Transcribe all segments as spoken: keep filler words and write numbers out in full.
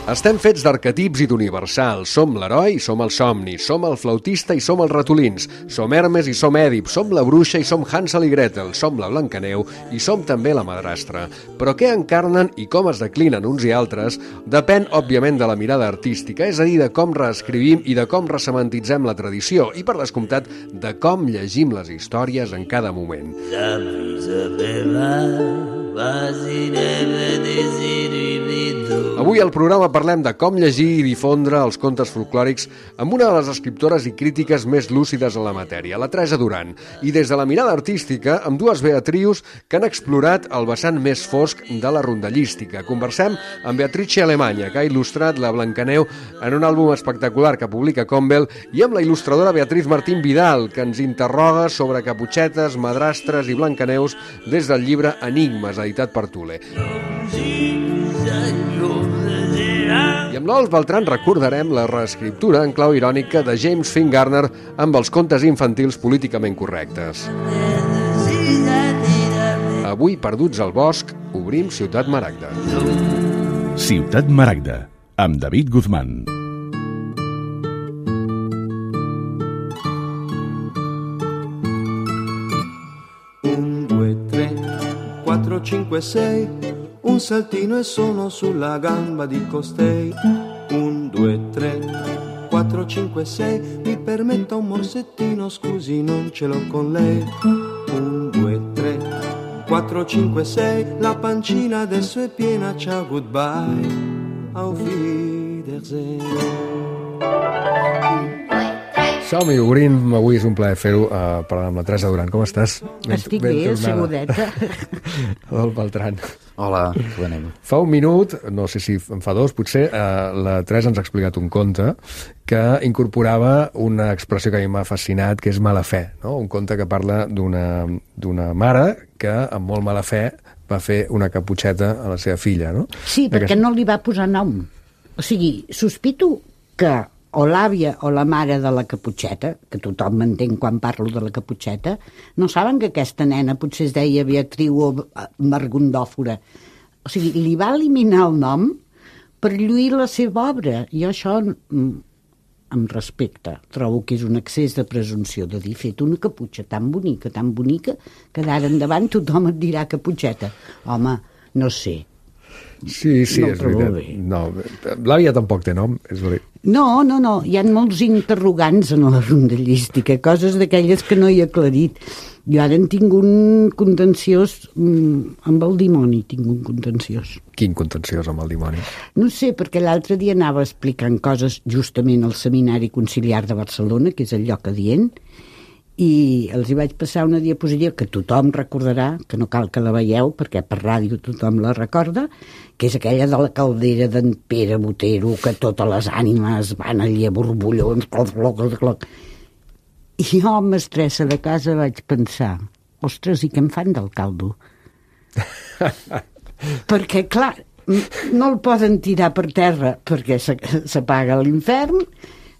Estem fets d'arquetips i d'universals. Som l'heroi i som el somni. Som el flautista i som els ratolins. Som Hermes i som Èdip. Som la bruixa i som Hansel i Gretel. Som la Blancaneu i som també la madrastra. Però què encarnen i com es declinen uns i altres depèn, òbviament, de la mirada artística, és a dir, de com reescrivim i de com ressemantitzem la tradició i, per descomptat, de com llegim les històries en cada moment. Avui al programa parlem de com llegir i difondre els contes folclòrics amb una de les escriptores i crítiques més lúcides en la matèria, la Teresa Duran, i des de la mirada artística amb dues beatrius que han explorat el vessant més fosc de la rondallística. Conversem amb Beatrice Alemanya, que ha il·lustrat la Blancaneu en un àlbum espectacular que publica Combel, i amb la il·lustradora Beatriz Martín Vidal, que ens interroga sobre caputxetes, madrastres i blancaneus des del llibre Enigmes, editat per Thule. I amb l'Ols Beltran recordarem la reescriptura en clau irònica de James Finn Gardner amb els contes infantils políticament correctes. Avui, perduts al bosc, obrim Ciutat Maragda. Ciutat Maragda, amb David Guzmán. Un, due, tre, quattro, cinque, sei. Un saltino e sono sulla gamba di costei. Un, due, tre, quattro, cinque, sei. Mi permetta un morsettino, scusi, non ce l'ho con lei. Un, due, tre, quattro, cinque, sei. La pancina adesso è piena, ciao, goodbye. Auf Wiedersehen. Som-hi, obrim. Avui és un plaer fer-ho uh, parlant amb la Teresa Duran. Com estàs? Estic ben, bé, segudeta. Adolf Beltran. Hola, com anem? Fa un minut, no sé si en fa dos, potser, uh, la Teresa ens ha explicat un conte que incorporava una expressió que a mi m'ha fascinat, que és mala fe, no? Un conte que parla d'una d'una mare que, amb molt mala fe, va fer una caputxeta a la seva filla, no? Sí, perquè no li va posar nom. O sigui, sospito que o l'àvia o la mare de la caputxeta, que tothom m'entén quan parlo de la caputxeta, no saben que aquesta nena potser es deia Beatriu o Margondòfora. O sigui, li va eliminar el nom per lluir la seva obra. I això, amb respecte, trobo que és un excés de presumpció de dir, fet una caputxa tan bonica, tan bonica, que d'ara endavant tothom et dirà caputxeta. Home, no sé. Sí, sí, no és veritat. No, l'àvia tampoc té nom, és veritat. No, no, no, hi ha molts interrogants en la rondallística, coses d'aquelles que no hi he aclarit. Jo ara en tinc un contenciós amb el dimoni, tinc un contenciós. Quin contenciós amb el dimoni? No sé, perquè l'altre dia anava explicant coses justament al Seminari Conciliar de Barcelona, que és el lloc adient, i els hi vaig passar una diapositiva que tothom recordarà, que no cal que la veieu perquè per ràdio tothom la recorda, que és aquella de la caldera d'en Pere Botero, que totes les ànimes van allí a borbollons. I jo, mestressa de casa, vaig pensar, ostres, i què en fan del caldo? Perquè, clar, no el poden tirar per terra perquè s'apaga l'infern.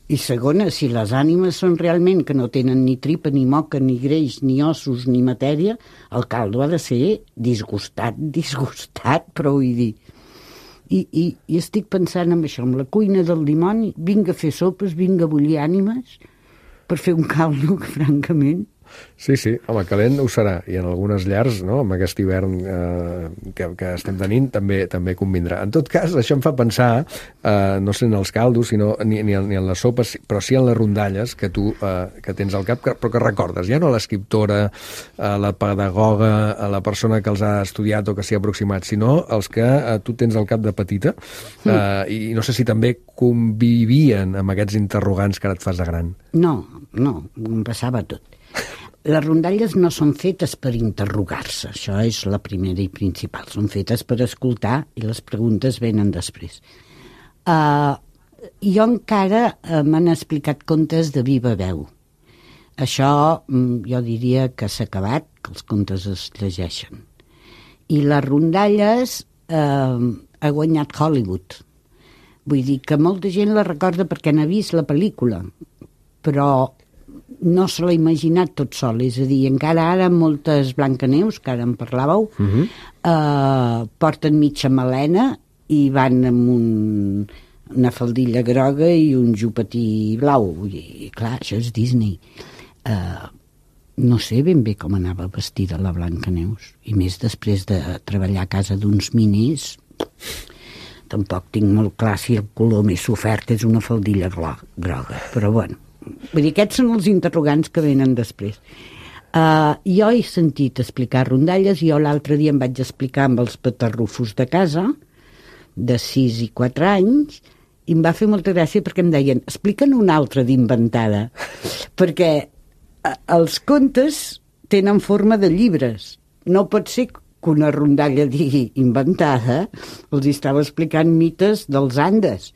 I segona, si les ànimes són realment que no tenen ni tripa, ni moca, ni greix, ni ossos, ni matèria, el caldo ha de ser disgustat, disgustat, però vull dir. I, i, i estic pensant en això, amb la cuina del dimoni, vinga a fer sopes, vinga a bullir ànimes, per fer un caldo que, francament... Sí, sí, home, calent ho serà, i en algunes llars, no?, amb aquest hivern eh, que, que estem tenint, també també convindrà. En tot cas, això em fa pensar, eh, no sé en els caldos, sinó ni, ni, ni en les sopes, però sí en les rondalles que tu eh, que tens al cap, que, però que recordes, ja no l'escriptora, eh, la pedagoga, eh, la persona que els ha estudiat o que s'hi ha aproximat, sinó els que eh, tu tens al cap de petita, eh, mm. i no sé si també convivien amb aquests interrogants que ara et fas de gran. No, no, em passava tot. Les rondalles no són fetes per interrogar-se, això és la primera i principal. Són fetes per escoltar i les preguntes venen després. Uh, jo encara uh, m'han explicat contes de viva veu. Això um, jo diria que s'ha acabat, que els contes es llegeixen. I les rondalles uh, ha guanyat Hollywood. Vull dir que molta gent la recorda perquè n'ha vist la pel·lícula, però no se l'ha imaginat tot sol, és a dir, encara ara moltes Blancaneus, que ara en parlàveu, uh-huh. eh, porten mitja melena i van amb un, una faldilla groga i un jupetí blau. I, clar, això és Disney. Uh, no sé ben bé com anava vestida la Blancaneus. I més després de treballar a casa d'uns miners, tampoc tinc molt clar si el color més sofert és una faldilla groga. Però bueno, vull dir, aquests són els interrogants que venen després. Uh, jo he sentit explicar rondalles, jo l'altre dia em vaig explicar amb els petarrufos de casa, de sis i quatre anys, i em va fer molta gràcia perquè em deien, explica'n una altra d'inventada, perquè uh, els contes tenen forma de llibres. No pot ser que una rondalla digui inventada, els estava explicant mites dels Andes.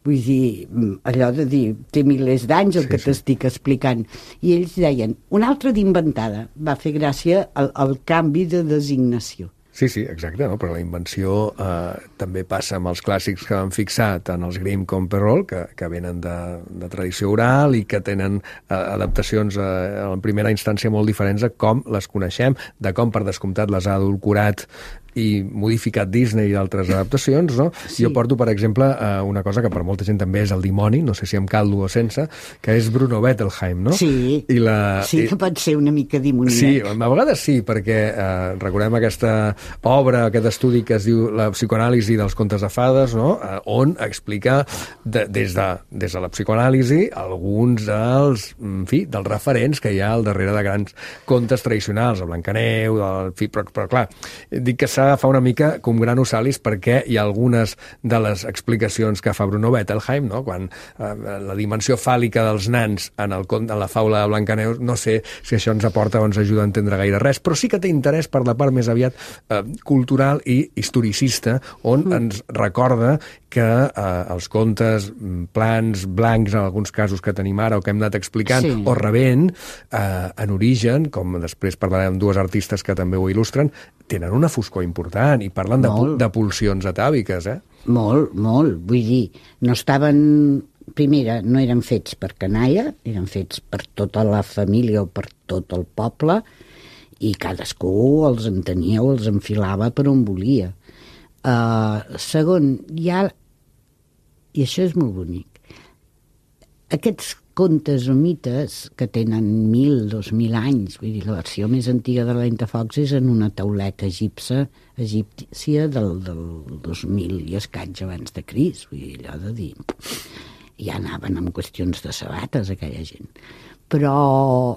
Vull dir, allò de dir, té milers d'anys el sí, que sí. t'estic explicant. I ells deien, una altra d'inventada. Va fer gràcia al, al canvi de designació. Sí, sí, exacte, no? Però la invenció eh, també passa amb els clàssics que van fixar tant els Grimm com Perrault, que, que venen de, de tradició oral i que tenen eh, adaptacions eh, en primera instància molt diferents de com les coneixem, de com per descomptat les ha adulcorat i modificat Disney i d'altres adaptacions, no? Sí. Jo porto, per exemple, eh, una cosa que per molta gent també és el dimoni, no sé si amb caldo o sense, que és Bruno Bettelheim, no? Sí, I la, sí que pot ser una mica dimoniac. Sí, a vegades sí, perquè eh, recordem aquesta obra, aquest estudi que es diu La psicoanàlisi dels contes de fades, no? Eh, on explica de, des, de, des de la psicoanàlisi alguns dels, en fi, dels referents que hi ha al darrere de grans contes tradicionals, el Blancaneu, del, fi, però, però clar, dic que s'ha d'agafar una mica com gran osalis perquè hi ha algunes de les explicacions que fa Bruno Bettelheim, no? Quan eh, la dimensió fàl·lica dels nans en, el, en la faula de Blancaneu, no sé si això ens aporta o ens ajuda a entendre gaire res, però sí que té interès per la part més aviat eh, cultural i historicista, on mm. ens recorda que eh, els contes plans, blancs, en alguns casos que tenim ara o que hem anat explicant, sí. o rebent, eh, en origen, com després parlarem amb dues artistes que també ho il·lustren, tenen una foscor important i parlen de, de pulsions atàviques, eh? Molt, molt. Vull dir, no estaven... Primera, no eren fets per canalla, eren fets per tota la família o per tot el poble, i cadascú els entenia o els enfilava per on volia. Uh, segon, hi ha... I això és molt bonic. Aquests contes o mites que tenen mil, dos mil anys, vull dir, la versió més antiga de la Ventafocs és en una tauleta egipcia, egípcia del, del dos mil i escaig abans de Crist, vull dir, allò de dir... Ja anaven amb qüestions de sabates, aquella gent. Però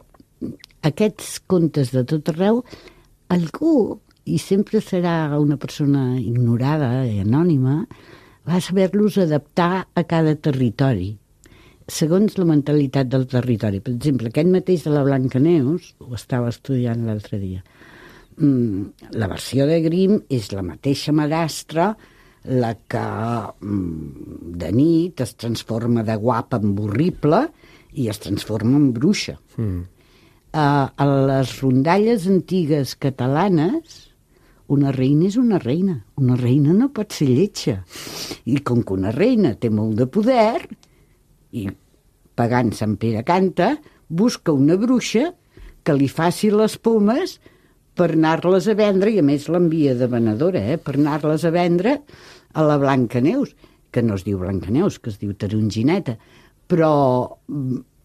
aquests contes de tot arreu, algú, i sempre serà una persona ignorada i anònima, va saber-los adaptar a cada territori, segons la mentalitat del territori. Per exemple, aquest mateix de la Blancaneus, ho estava estudiant l'altre dia, la versió de Grimm és la mateixa madrastra, la que de nit es transforma de guapa en horrible i es transforma en bruixa. Mm. Uh, a les rondalles antigues catalanes, una reina és una reina. Una reina no pot ser lletja. I com que una reina té molt de poder, i pagant Sant Pere canta, busca una bruixa que li faci les pomes per anar-les a vendre, i a més l'envia de venedora, eh, per anar-les a vendre a la Blancaneus, que no es diu Blancaneus, que es diu Tarongineta, però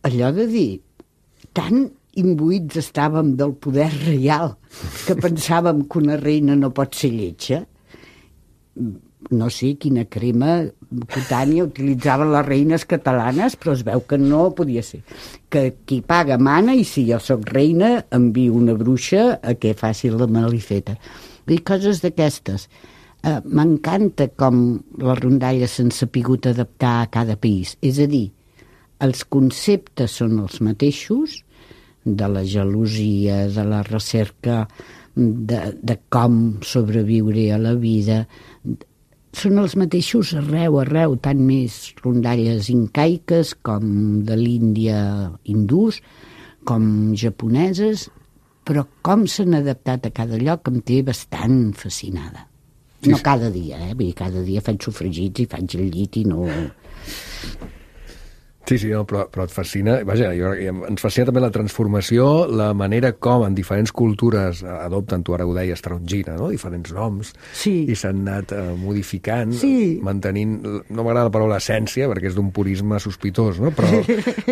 allò de dir, tan imbuïts estàvem del poder reial que pensàvem que una reina no pot ser lletja. No sé quina crema cutània utilitzaven les reines catalanes, però es veu que no podia ser. Que qui paga mana, i si jo sóc reina envio una bruixa a que faci la malifeta. I coses d'aquestes. Uh, m'encanta com les rondalles s'han sapigut adaptar a cada país. És a dir, els conceptes són els mateixos, de la gelosia, de la recerca de, de com sobreviure a la vida, són els mateixos arreu, arreu, tant més rondalles incaiques com de l'Índia hindús, com japoneses, però com s'han adaptat a cada lloc em té bastant fascinada. Sí, no cada dia, eh? Vull dir, cada dia faig sofregits i faig el llit i no... Sí, sí, no, però, però et fascina, vaja, jo, ens fascina també la transformació, la manera com en diferents cultures adopten, tu ara ho deies, tarongina, no? Diferents noms, sí. I s'han anat uh, modificant, sí. mantenint, no m'agrada la paraula essència, perquè és d'un purisme sospitós, no? Però,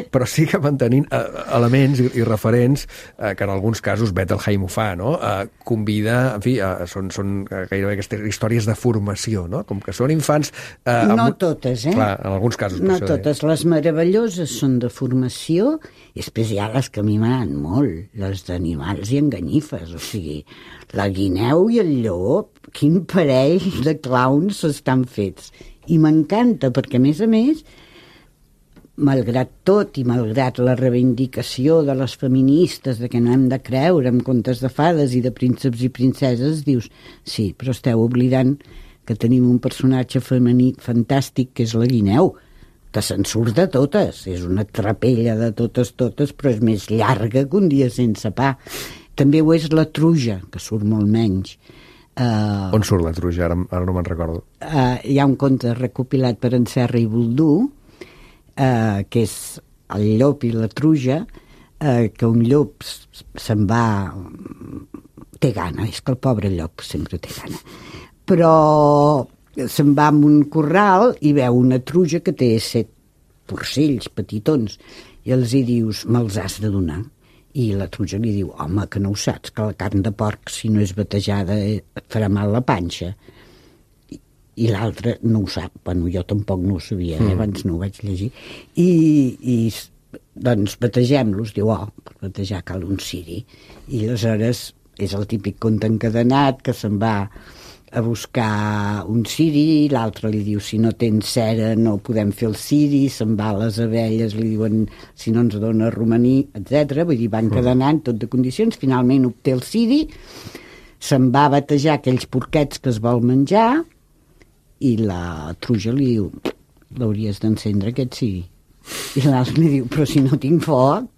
però sí que mantenint uh, elements i, i referents uh, que en alguns casos Bettelheim ho fa, no? Uh, convida, en fi, uh, són, són uh, gairebé aquestes històries de formació, no? Com que són infants... Uh, no amb... totes, eh? Clar, en alguns casos. No totes, les meravelloses són de formació, i després hi ha les que a mi m'agraden molt, les d'animals i enganyifes, o sigui, la guineu i el llop, quin parell de clowns estan fets. I m'encanta, perquè a més a més, malgrat tot i malgrat la reivindicació de les feministes de que no hem de creure en contes de fades i de prínceps i princeses, dius, sí, però esteu oblidant que tenim un personatge femení fantàstic que és la guineu, que se'n surt de totes, és una trapella de totes, totes, però és més llarga que un dia sense pa. També ho és la truja, que surt molt menys. Uh, On surt la truja? Ara, ara no me'n recordo. Uh, hi ha un conte recopilat per en Serra i Boldú, uh, que és el llop i la truja, uh, que un llop se'n va... té gana, és que el pobre llop sempre té gana. Però... se'n va amb un corral i veu una truja que té set porcells petitons i els hi dius, me'ls has de donar. I la truja li diu, home, que no ho saps, que la carn de porc, si no és batejada, et farà mal la panxa. I, i l'altre no ho sap, bueno, jo tampoc no ho sabia, eh? mm. abans no ho vaig llegir. I, i doncs bategem-los, diu, oh, per batejar cal un ciri. I aleshores és el típic conte encadenat que se'n va a buscar un ciri, l'altre li diu si no tens cera no podem fer el ciri, se'n va a les abelles, li diuen si no ens dona romaní, etcètera. Vull dir, van cadenant tot de condicions, finalment obté el ciri, se'n va a batejar aquells porquets que es vol menjar i la truja li diu l'hauries d'encendre aquest ciri. I l'altre li diu, però si no tinc foc.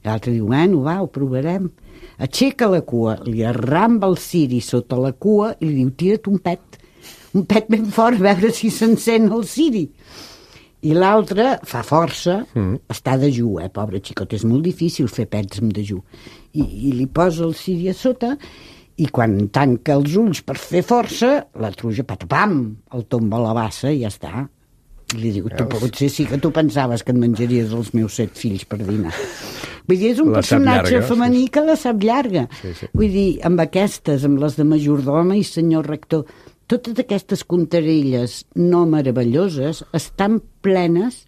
I l'altre diu, bueno, va, ho provarem. Aixeca la cua, li arramba el ciri sota la cua i li diu, tira't un pet, un pet ben fort, a veure si s'encén el ciri. I l'altre fa força, mm. està de dejú, eh, pobre xicot, és molt difícil fer pets amb dejú. I, i li posa el ciri a sota i quan tanca els ulls per fer força, la truja, patapam, el tomba a la bassa i ja està. I li diu, tu potser sí que tu pensaves que et menjaries els meus set fills per dinar. Vull dir, és un la personatge llarga, femení sí. que la sap llarga. Sí, sí. Vull dir, amb aquestes, amb les de majordoma i senyor rector, totes aquestes contarelles no meravelloses estan plenes,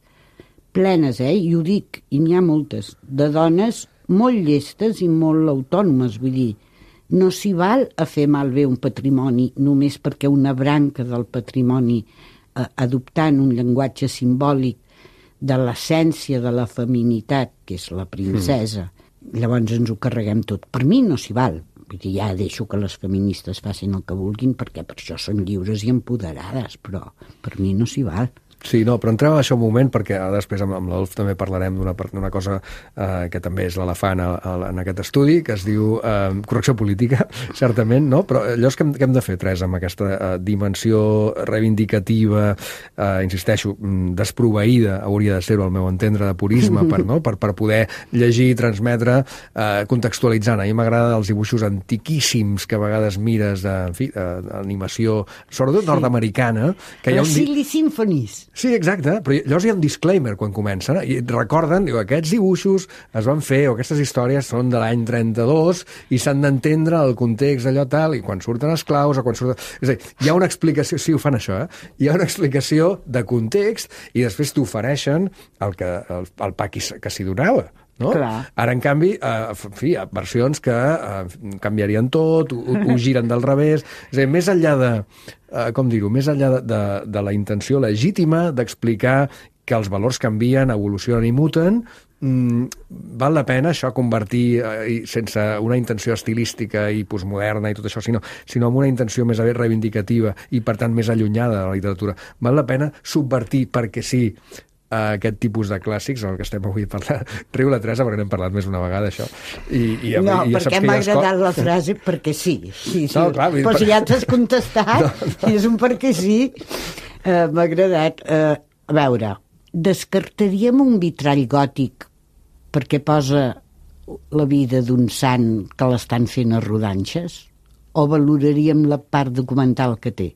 plenes, eh, i ho dic, i n'hi ha moltes, de dones molt llestes i molt autònomes, vull dir, no s'hi val a fer malbé un patrimoni només perquè una branca del patrimoni eh, adoptant un llenguatge simbòlic de l'essència de la feminitat, que és la princesa. Mm. Llavors ens ho carreguem tot. Per mi no s'hi val. Vull dir, ja deixo que les feministes facin el que vulguin, perquè per això són lliures i empoderades, però per mi no s'hi val. Sí, no, però entrem a això un moment, perquè després amb, amb l'Olf també parlarem d'una cosa eh, que també és l'elefant en aquest estudi, que es diu eh, correcció política, certament, no? Però allò que hem, que hem de fer, Teresa, amb aquesta eh, dimensió reivindicativa, eh, insisteixo, desproveïda, hauria de ser-ho al meu entendre, de purisme, per, no? per, per poder llegir i transmetre eh, contextualitzant. A mi m'agrada els dibuixos antiquíssims que a vegades mires d'animació, sobretot sí. nord-americana. Que hi ha un... Silly Symphonies. Sí, exacte, però llavors hi ha un disclaimer quan comencen, eh? I recorden, diu, aquests dibuixos es van fer, o aquestes històries són de l'any trenta-dos i s'han d'entendre el context allò tal, i quan surten esclaus o quan surten... És a dir, hi ha una explicació, sí, ho fan això, eh? Hi ha una explicació de context i després t'ofereixen el, que, el, el pa que s'hi donava. No? Ara, en canvi, eh, en fi, hi ha versions que eh, canviarien tot, ho, ho giren del revés. És a dir, més enllà de, eh, com dir-ho, més enllà de, de, de la intenció legítima d'explicar que els valors canvien, evolucionen i muten, mm, val la pena això convertir, eh, sense una intenció estilística i postmoderna i tot això, sinó, sinó amb una intenció més aviat reivindicativa i, per tant, més allunyada de la literatura. Val la pena subvertir, perquè sí, Uh, aquest tipus de clàssics, el que estem avui parlant. Riu la Teresa perquè n'hem parlat més una vegada, això. I, i, no, i ja perquè m'ha agradat co... la frase perquè sí. sí, sí. No, clar, però per... si ja t'has contestat, no, no. És un perquè sí. Uh, m'ha agradat. Uh, a veure, descartaríem un vitrall gòtic perquè posa la vida d'un sant que l'estan fent a rodanxes, o valoraríem la part documental que té?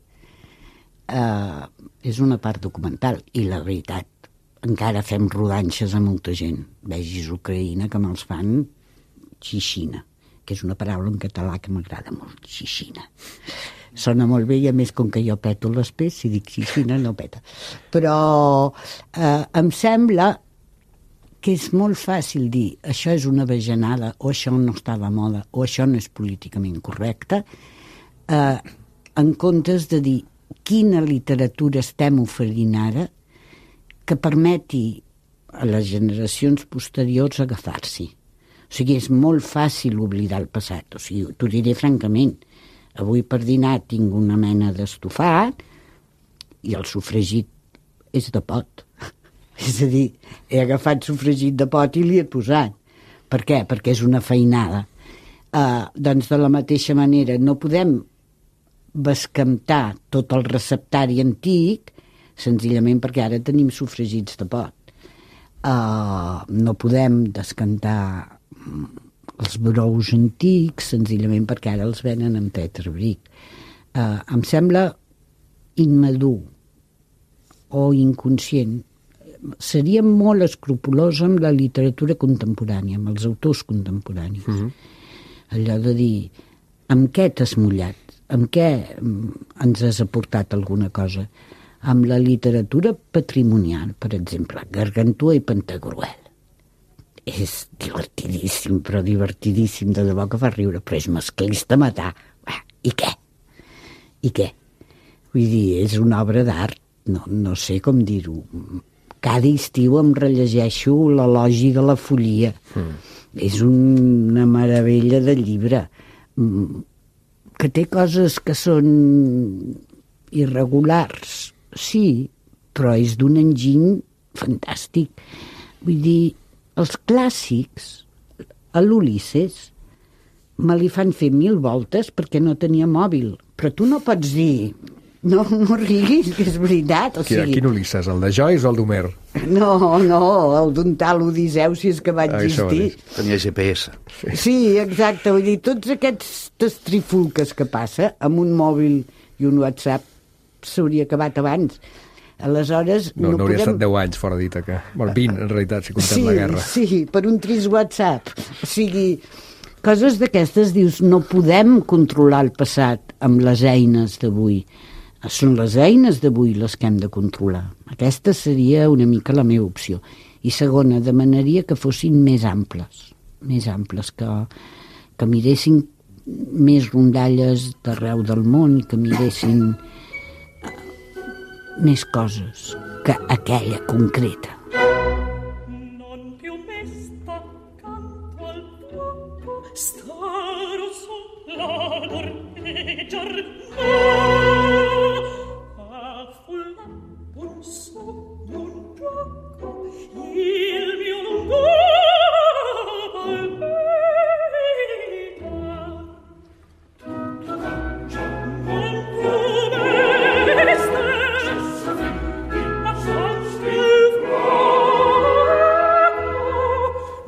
Uh, és una part documental, i la veritat, encara fem rodanxes a molta gent. Vegis Ucraïna, que me'ls fan xixina, que és una paraula en català que m'agrada molt, xixina. Sona molt bé, i a més, com que jo peto les pes, si dic xixina no peta. Però eh, em sembla que és molt fàcil dir això és una bajanada, o això no està de moda, o això no és políticament correcte, eh, en comptes de dir quina literatura estem oferint ara que permeti a les generacions posteriors agafar-s'hi. O sigui, és molt fàcil oblidar el passat. O sigui, t'ho diré francament. Avui per dinar tinc una mena d'estofat i el sofregit és de pot. És a dir, he agafat sofregit de pot i li he posat. Per què? Perquè és una feinada. Uh, doncs de la mateixa manera no podem bescantar tot el receptari antic senzillament perquè ara tenim sofregits de pot. Uh, no podem descantar els brous antics senzillament perquè ara els venen amb tetrabric. Uh, em sembla immadur o inconscient. Seria molt escrupolós amb la literatura contemporània, amb els autors contemporanis. Uh-huh. Allò de dir, amb què t'has mullat? Amb què ens has aportat alguna cosa? Amb la literatura patrimonial, per exemple, Gargantua i Pantagruel. És divertidíssim, però divertidíssim, de debò que fa riure, però és masclls de matar. I què? I què? Vull dir, és una obra d'art, no, no sé com dir-ho. Cada estiu em rellegeixo l'elogi de la follia. Mm. És una meravella de llibre, que té coses que són irregulars, sí, però és d'un enginy fantàstic. Vull dir, els clàssics, a l'Ulisses, me li fan fer mil voltes perquè no tenia mòbil. Però tu no pots dir... No, no riguis, que és veritat. O sigui... Quin Ulisses, el de Joyce o el d'Homer? No, no, el d'un tal Odisseu, si és que va existir. Tenia G P S. Sí. sí, exacte. Vull dir, tots aquestes trifulques que passa amb un mòbil i un WhatsApp s'hauria acabat abans. Aleshores... No, no, no hauria podem... estat deu anys fora d'Ítaca. Bueno, vint, en realitat, si comptem sí, la guerra. Sí, per un trist WhatsApp. O sigui, coses d'aquestes, dius, no podem controlar el passat amb les eines d'avui. Són les eines d'avui les que hem de controlar. Aquesta seria una mica la meva opció. I segona, demanaria que fossin més amples, més amples, que, que miressin més rondalles d'arreu del món i que miressin uh, més coses que aquella concreta. Non più mesta canto al fuoco, staro sulla dormeggiar, il mio lungo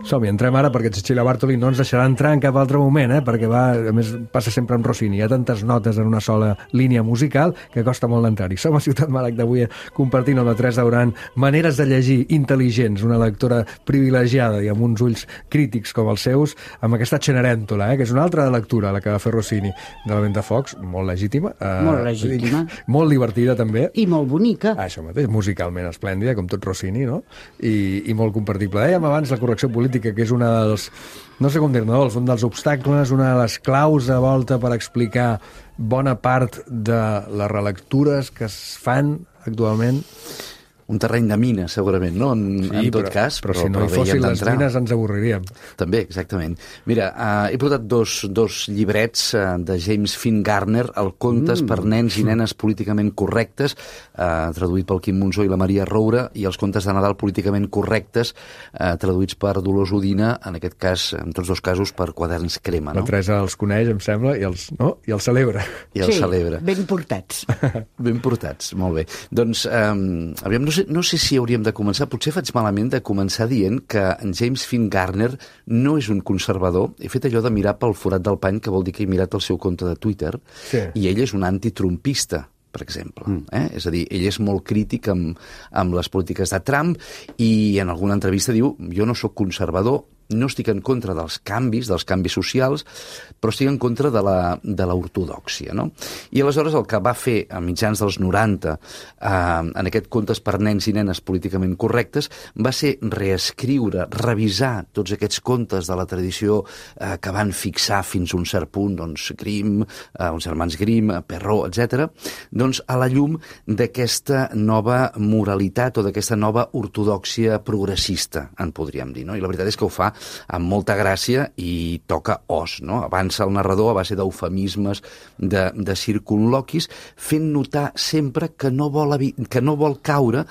Som-hi, entrem ara perquè Cecilia Bartoli no ens deixarà entrar en cap altre moment, eh? Perquè va, a més passa sempre amb Rossini, hi ha tantes notes en una sola línia musical que costa molt d'entrar-hi. Som a Ciutat Màlac d'avui compartint amb la Teresa Duran maneres de llegir intel·ligents, una lectora privilegiada i amb uns ulls crítics com els seus, amb aquesta Cenerentola, eh? Que és una altra lectura, la que va fer Rossini, de la Ventafocs, molt legítima. Eh, molt legítima. Molt divertida, també. I molt bonica. Ah, això mateix, musicalment esplèndida, com tot Rossini, no? I, i molt compartible. Dèiem abans la correcció política, que és una dels, no sé com dir-ne, un dels obstacles, una de les claus de volta per explicar bona part de les relectures que es fan actualment. Un terreny de mina, segurament, no? En, sí, en tot però, cas. Però, però si no hi fossin les mines ens avorriríem. També, exactament. Mira, uh, he portat dos, dos llibrets uh, de James Finn Garner, el Contes mm. per nens i nenes políticament correctes, uh, traduït pel Quim Monzó i la Maria Roura, i els Contes de Nadal políticament correctes, uh, traduïts per Dolors Udina, en aquest cas, en tots dos casos, per Quaderns Crema, no? La Teresa els coneix, em sembla, i els, no? I els celebra. I els sí, celebra. ben portats. Ben portats, molt bé. Doncs, um, aviam, no sé, no sé si hauríem de començar, potser faig malament de començar dient que en James Finn Gardner no és un conservador. He fet allò de mirar pel forat del pany, que vol dir que he mirat el seu compte de Twitter, sí. I ell és un antitrumpista, per exemple. Mm. Eh? És a dir, ell és molt crític amb, amb les polítiques de Trump i en alguna entrevista diu, jo no sóc conservador, no estic en contra dels canvis, dels canvis socials, però estic en contra de la, de la ortodòxia, no? I aleshores el que va fer a mitjans dels noranta, eh, en aquest Contes per nens i nenes políticament correctes, va ser reescriure, revisar tots aquests contes de la tradició eh, que van fixar fins a un cert punt, doncs Grimm, eh, els germans Grimm, Perrault, etcètera, doncs a la llum d'aquesta nova moralitat o d'aquesta nova ortodòxia progressista, en podríem dir, no? I la veritat és que ho fa amb molta gràcia i toca os, no? Avança el narrador a base d'eufemismes, de, de circunloquis, fent notar sempre que no vol, que no vol caure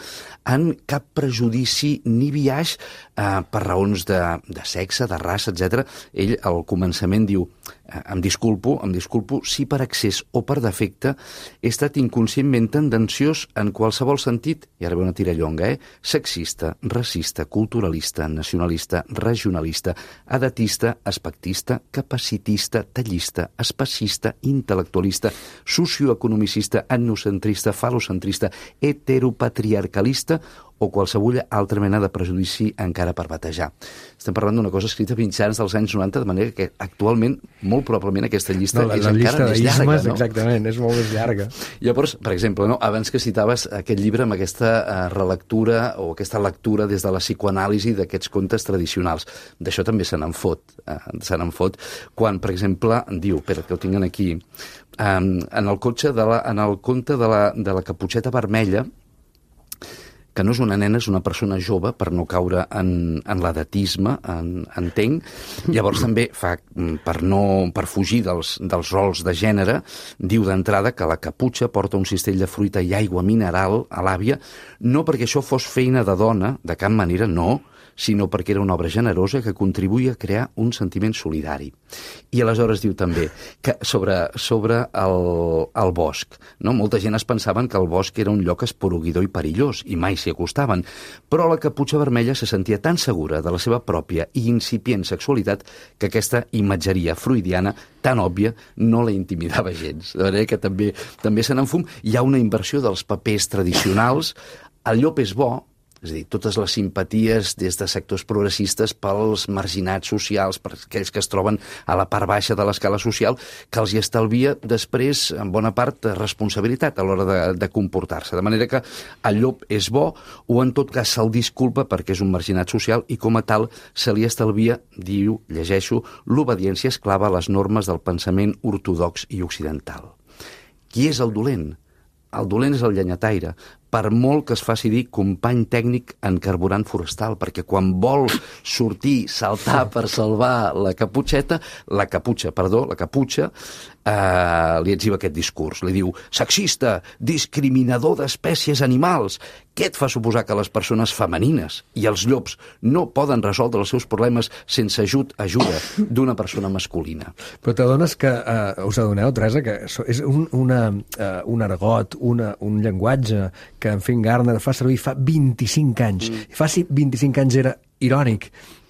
en cap prejudici ni biaix eh, per raons de, de sexe, de raça, etcètera. Ell al començament diu, eh, em disculpo, em disculpo si per excés o per defecte he estat inconscientment tendenciós en qualsevol sentit, i ara ve una tirallonga, eh? Sexista, racista, culturalista, nacionalista, regionalista, edatista, aspectista, capacitista, tallista, especista, intel·lectualista, socioeconomicista, etnocentrista, falocentrista, heteropatriarcalista o qualsevol altra mena de prejudici encara per batejar. Estem parlant d'una cosa escrita a mitjans dels anys noranta, de manera que actualment, molt probablement, aquesta llista no, la, és la encara més llarga. No? Exactament, és molt més llarga. Llavors, per exemple, no, abans que citaves aquest llibre amb aquesta uh, relectura o aquesta lectura des de la psicoanàlisi d'aquests contes tradicionals, d'això també se n'en fot, uh, se n'en fot, quan, per exemple, diu, espera, que ho tinguin aquí, um, en el cotxe de la, en el conte de la, de la Caputxeta Vermella, que no és una nena, és una persona jove, per no caure en, en l'edatisme, en, entenc. Llavors també fa, per, no, per fugir dels, dels rols de gènere, diu d'entrada que la caputxa porta un cistell de fruita i aigua mineral a l'àvia, no perquè això fos feina de dona, de cap manera, no, sinó perquè era una obra generosa que contribuïa a crear un sentiment solidari. I aleshores diu també que sobre, sobre el, el bosc, no? Molta gent es pensaven que el bosc era un lloc esporuguidor i perillós, i mai s'hi acostaven, però la Caputxa Vermella se sentia tan segura de la seva pròpia i incipient sexualitat que aquesta imatgeria freudiana tan òbvia no la intimidava gens. De manera que també, també se n'enfum. Hi ha una inversió dels papers tradicionals. El llop és bo, és a dir, totes les simpaties des de sectors progressistes pels marginats socials, per aquells que es troben a la part baixa de l'escala social, que els hi estalvia després, en bona part, responsabilitat a l'hora de, de comportar-se. De manera que el llop és bo, o en tot cas se'l disculpa perquè és un marginat social i com a tal se li estalvia, diu, llegeixo, l'obediència esclava a les normes del pensament ortodox i occidental. Qui és el dolent? El dolent és el llenyataire, per molt que es faci dir company tècnic en carburant forestal, perquè quan vol sortir, saltar per salvar la caputxeta, la caputxa, perdó, la caputxa, eh, li etziba aquest discurs. Li diu, sexista, discriminador d'espècies animals. Què et fa suposar que les persones femenines i els llops no poden resoldre els seus problemes sense ajut, ajuda d'una persona masculina? Però t'adones que, eh, us adoneu, Teresa, que és un, una, uh, un argot, una, un llenguatge que en Finn Gardner fa servir fa vint-i-cinc anys. Mm. Fa vint-i-cinc anys era irònic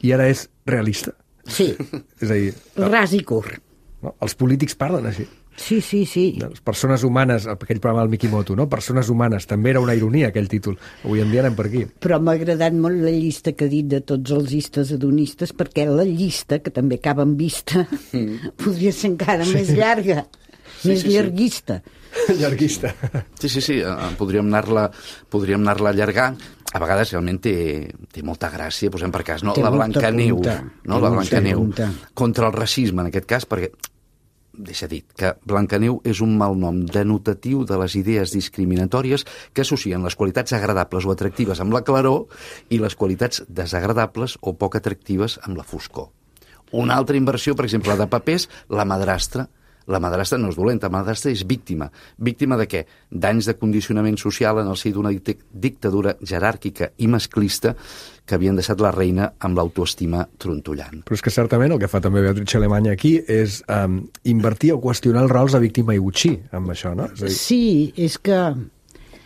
i ara és realista. Sí. És a dir... Ras i curt. No? Els polítics parlen així. Sí, sí, sí. Les persones humanes, aquell programa del Mikimoto, no? Persones humanes, també era una ironia aquell títol. Avui en dia anem per aquí. Però m'ha agradat molt la llista que ha dit de tots els llistes hedonistes, perquè la llista, que també acaba en vista, mm. podria ser encara sí. més llarga, sí, més sí, llarguista. Sí. Llarguista. Sí, sí, sí, podríem anar-la podríem anar-la allargant. A vegades realment té, té molta gràcia, posem per cas, no? Té la Blancaneu, no? La Blancaneu contra el racisme, en aquest cas, perquè deixa dit que Blancaneu és un malnom denotatiu de les idees discriminatòries que associen les qualitats agradables o atractives amb la claror i les qualitats desagradables o poc atractives amb la foscor. Una altra inversió, per exemple, de papers, la madrastra. La madrastra no és dolenta, la madrastra és víctima. Víctima de què? D'anys de condicionament social en el si d'una dictadura jeràrquica i masclista que havien deixat la reina amb l'autoestima trontollant. Però és que certament el que fa també Beatrice Alemanya aquí és um, invertir o qüestionar els rols de víctima i botxí amb això, no? És a dir... Sí, és que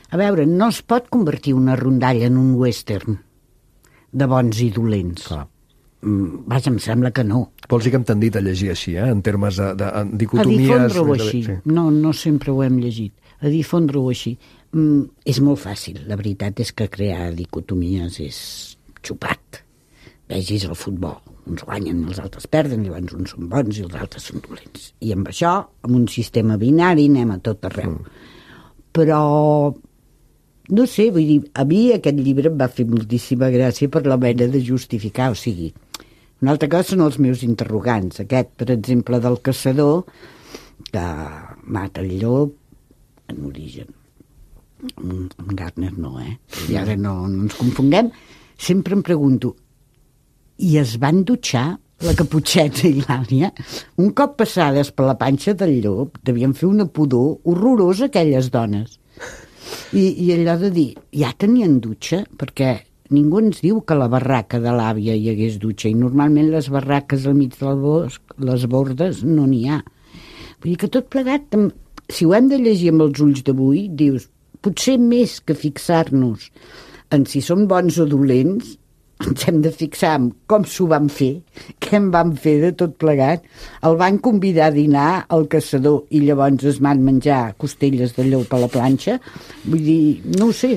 A veure, no es pot convertir una rondalla en un western de bons i dolents. Clar. Mm, vaja, em sembla que no. Vols dir que hem tendit a llegir així, eh? En termes de, de en dicotomies... A difondre-ho així. Sí. No, no sempre ho hem llegit. A difondre-ho així. Mm, és molt fàcil. La veritat és que crear dicotomies és xupat. Vegis el futbol. Uns guanyen, els altres perden, llavors uns són bons i els altres són dolents. I amb això, amb un sistema binari, anem a tot arreu. Mm. Però... No sé, vull dir, a mi aquest llibre em va fer moltíssima gràcia per la mena de justificar, o sigui, una altra cosa són els meus interrogants. Aquest, per exemple, del caçador, que mata el llop en origen. En Gardner no, eh? I ara no, no ens confonguem. Sempre em pregunto, i es van dutxar la Caputxeta i l'Ània? Un cop passades per la panxa del llop, devien fer una pudor horrorosa aquelles dones. I, i allò de dir, ja tenien dutxa, perquè ningú ens diu que a la barraca de l'àvia hi hagués dutxa, i normalment les barraques al mig del bosc, les bordes, no n'hi ha. Vull dir que tot plegat, si ho hem de llegir amb els ulls d'avui, dius, potser més que fixar-nos en si són bons o dolents, ens hem de fixar en com s'ho van fer, què en van fer de tot plegat. El van convidar a dinar al caçador i llavors es van menjar costelles de llop a la planxa. Vull dir, no ho sé.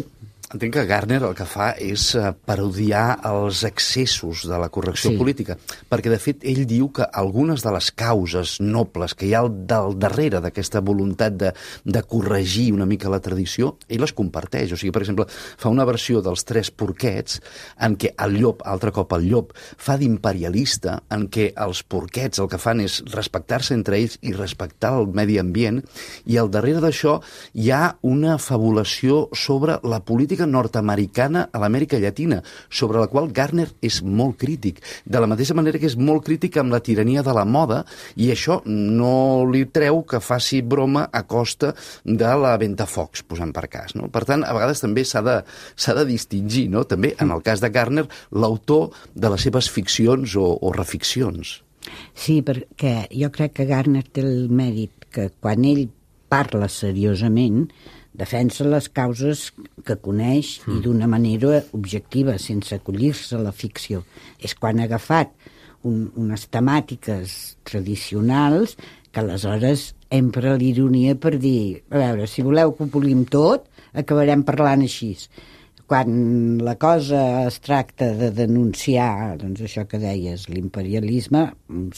Entenc que Gardner el que fa és parodiar els excessos de la correcció Sí. política, perquè de fet ell diu que algunes de les causes nobles que hi ha al del darrere d'aquesta voluntat de, de corregir una mica la tradició, ell les comparteix. O sigui, per exemple, fa una versió dels Tres porquets en què el llop, altre cop el llop, fa d'imperialista, en què els porquets el que fan és respectar-se entre ells i respectar el medi ambient, i al darrere d'això hi ha una fabulació sobre la política nord-americana a l'Amèrica Llatina, sobre la qual Gardner és molt crític, de la mateixa manera que és molt crític amb la tirania de la moda, i això no li treu que faci broma a costa de la Ventafocs, posant per cas, no? Per tant, a vegades també s'ha de, s'ha de distingir, no? També, en el cas de Gardner, l'autor de les seves ficcions o, o reficcions. Sí, perquè jo crec que Gardner té el mèrit que quan ell parla seriosament defensa les causes que coneix mm. i d'una manera objectiva, sense acollir-se a la ficció. És quan ha agafat un, unes temàtiques tradicionals que aleshores empra l'ironia per dir, a veure, si voleu que ho polim tot, acabarem parlant així. Quan la cosa es tracta de denunciar, doncs això que deies, l'imperialisme,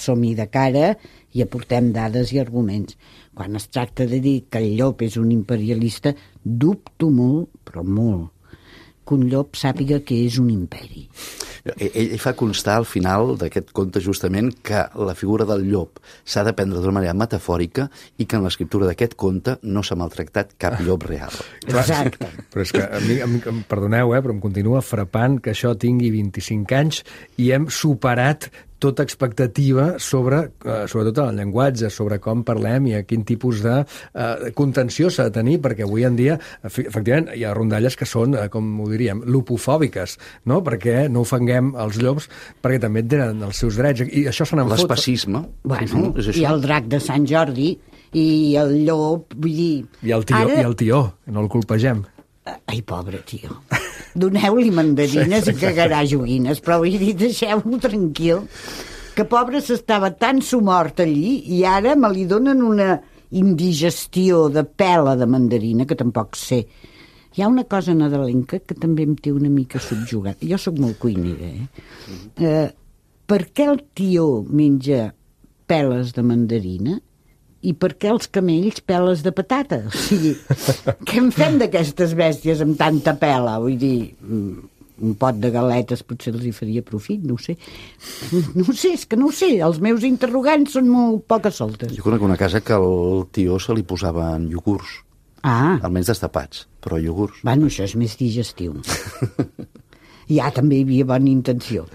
som-hi de cara i aportem dades i arguments. Quan es tracta de dir que el llop és un imperialista, dubto molt, però molt, que un llop sàpiga que és un imperi. Ell, ell fa constar al final d'aquest conte justament que la figura del llop s'ha de prendre d'una manera metafòrica i que en l'escriptura d'aquest conte no s'ha maltractat cap llop real. Exacte. Però és que, a mi, a mi, perdoneu, eh, però em continua frapant que això tingui vint-i-cinc anys i hem superat tota expectativa sobre, eh, sobretot en el llenguatge, sobre com parlem i a quin tipus de eh, contenció s'ha de tenir, perquè avui en dia, efectivament, hi ha rondalles que són, eh, com ho diríem, lupofòbiques, no? Perquè no ofenguem els llops, perquè també tenen els seus drets. I això se n'en fot. L'especisme. Bueno, no? És i el drac de Sant Jordi i el llop, vull dir... I el tió, ara... i el tió, no el colpegem. Ai, pobre tio. Doneu-li mandarines sí, i cagarà joguines, però vull dir, deixeu-lo tranquil, que pobre s'estava tan sumort allí i ara me li donen una indigestió de pela de mandarina que tampoc sé. Hi ha una cosa nadalenca que també em té una mica subjugat. Jo sóc molt cuinera, eh? eh per què el tió menja peles de mandarina i per què els camells peles de patata? O sigui, què en fem d'aquestes bèsties amb tanta pela? Vull dir, un pot de galetes potser els hi faria profit, no ho sé. No ho sé, és que no ho sé. Els meus interrogants són molt poques soltes. Jo conec una casa que el tió se li posava en iogurts. Ah. Almenys destapats, però iogurts. Bueno, això és més digestiu. Ja també hi havia bona intenció.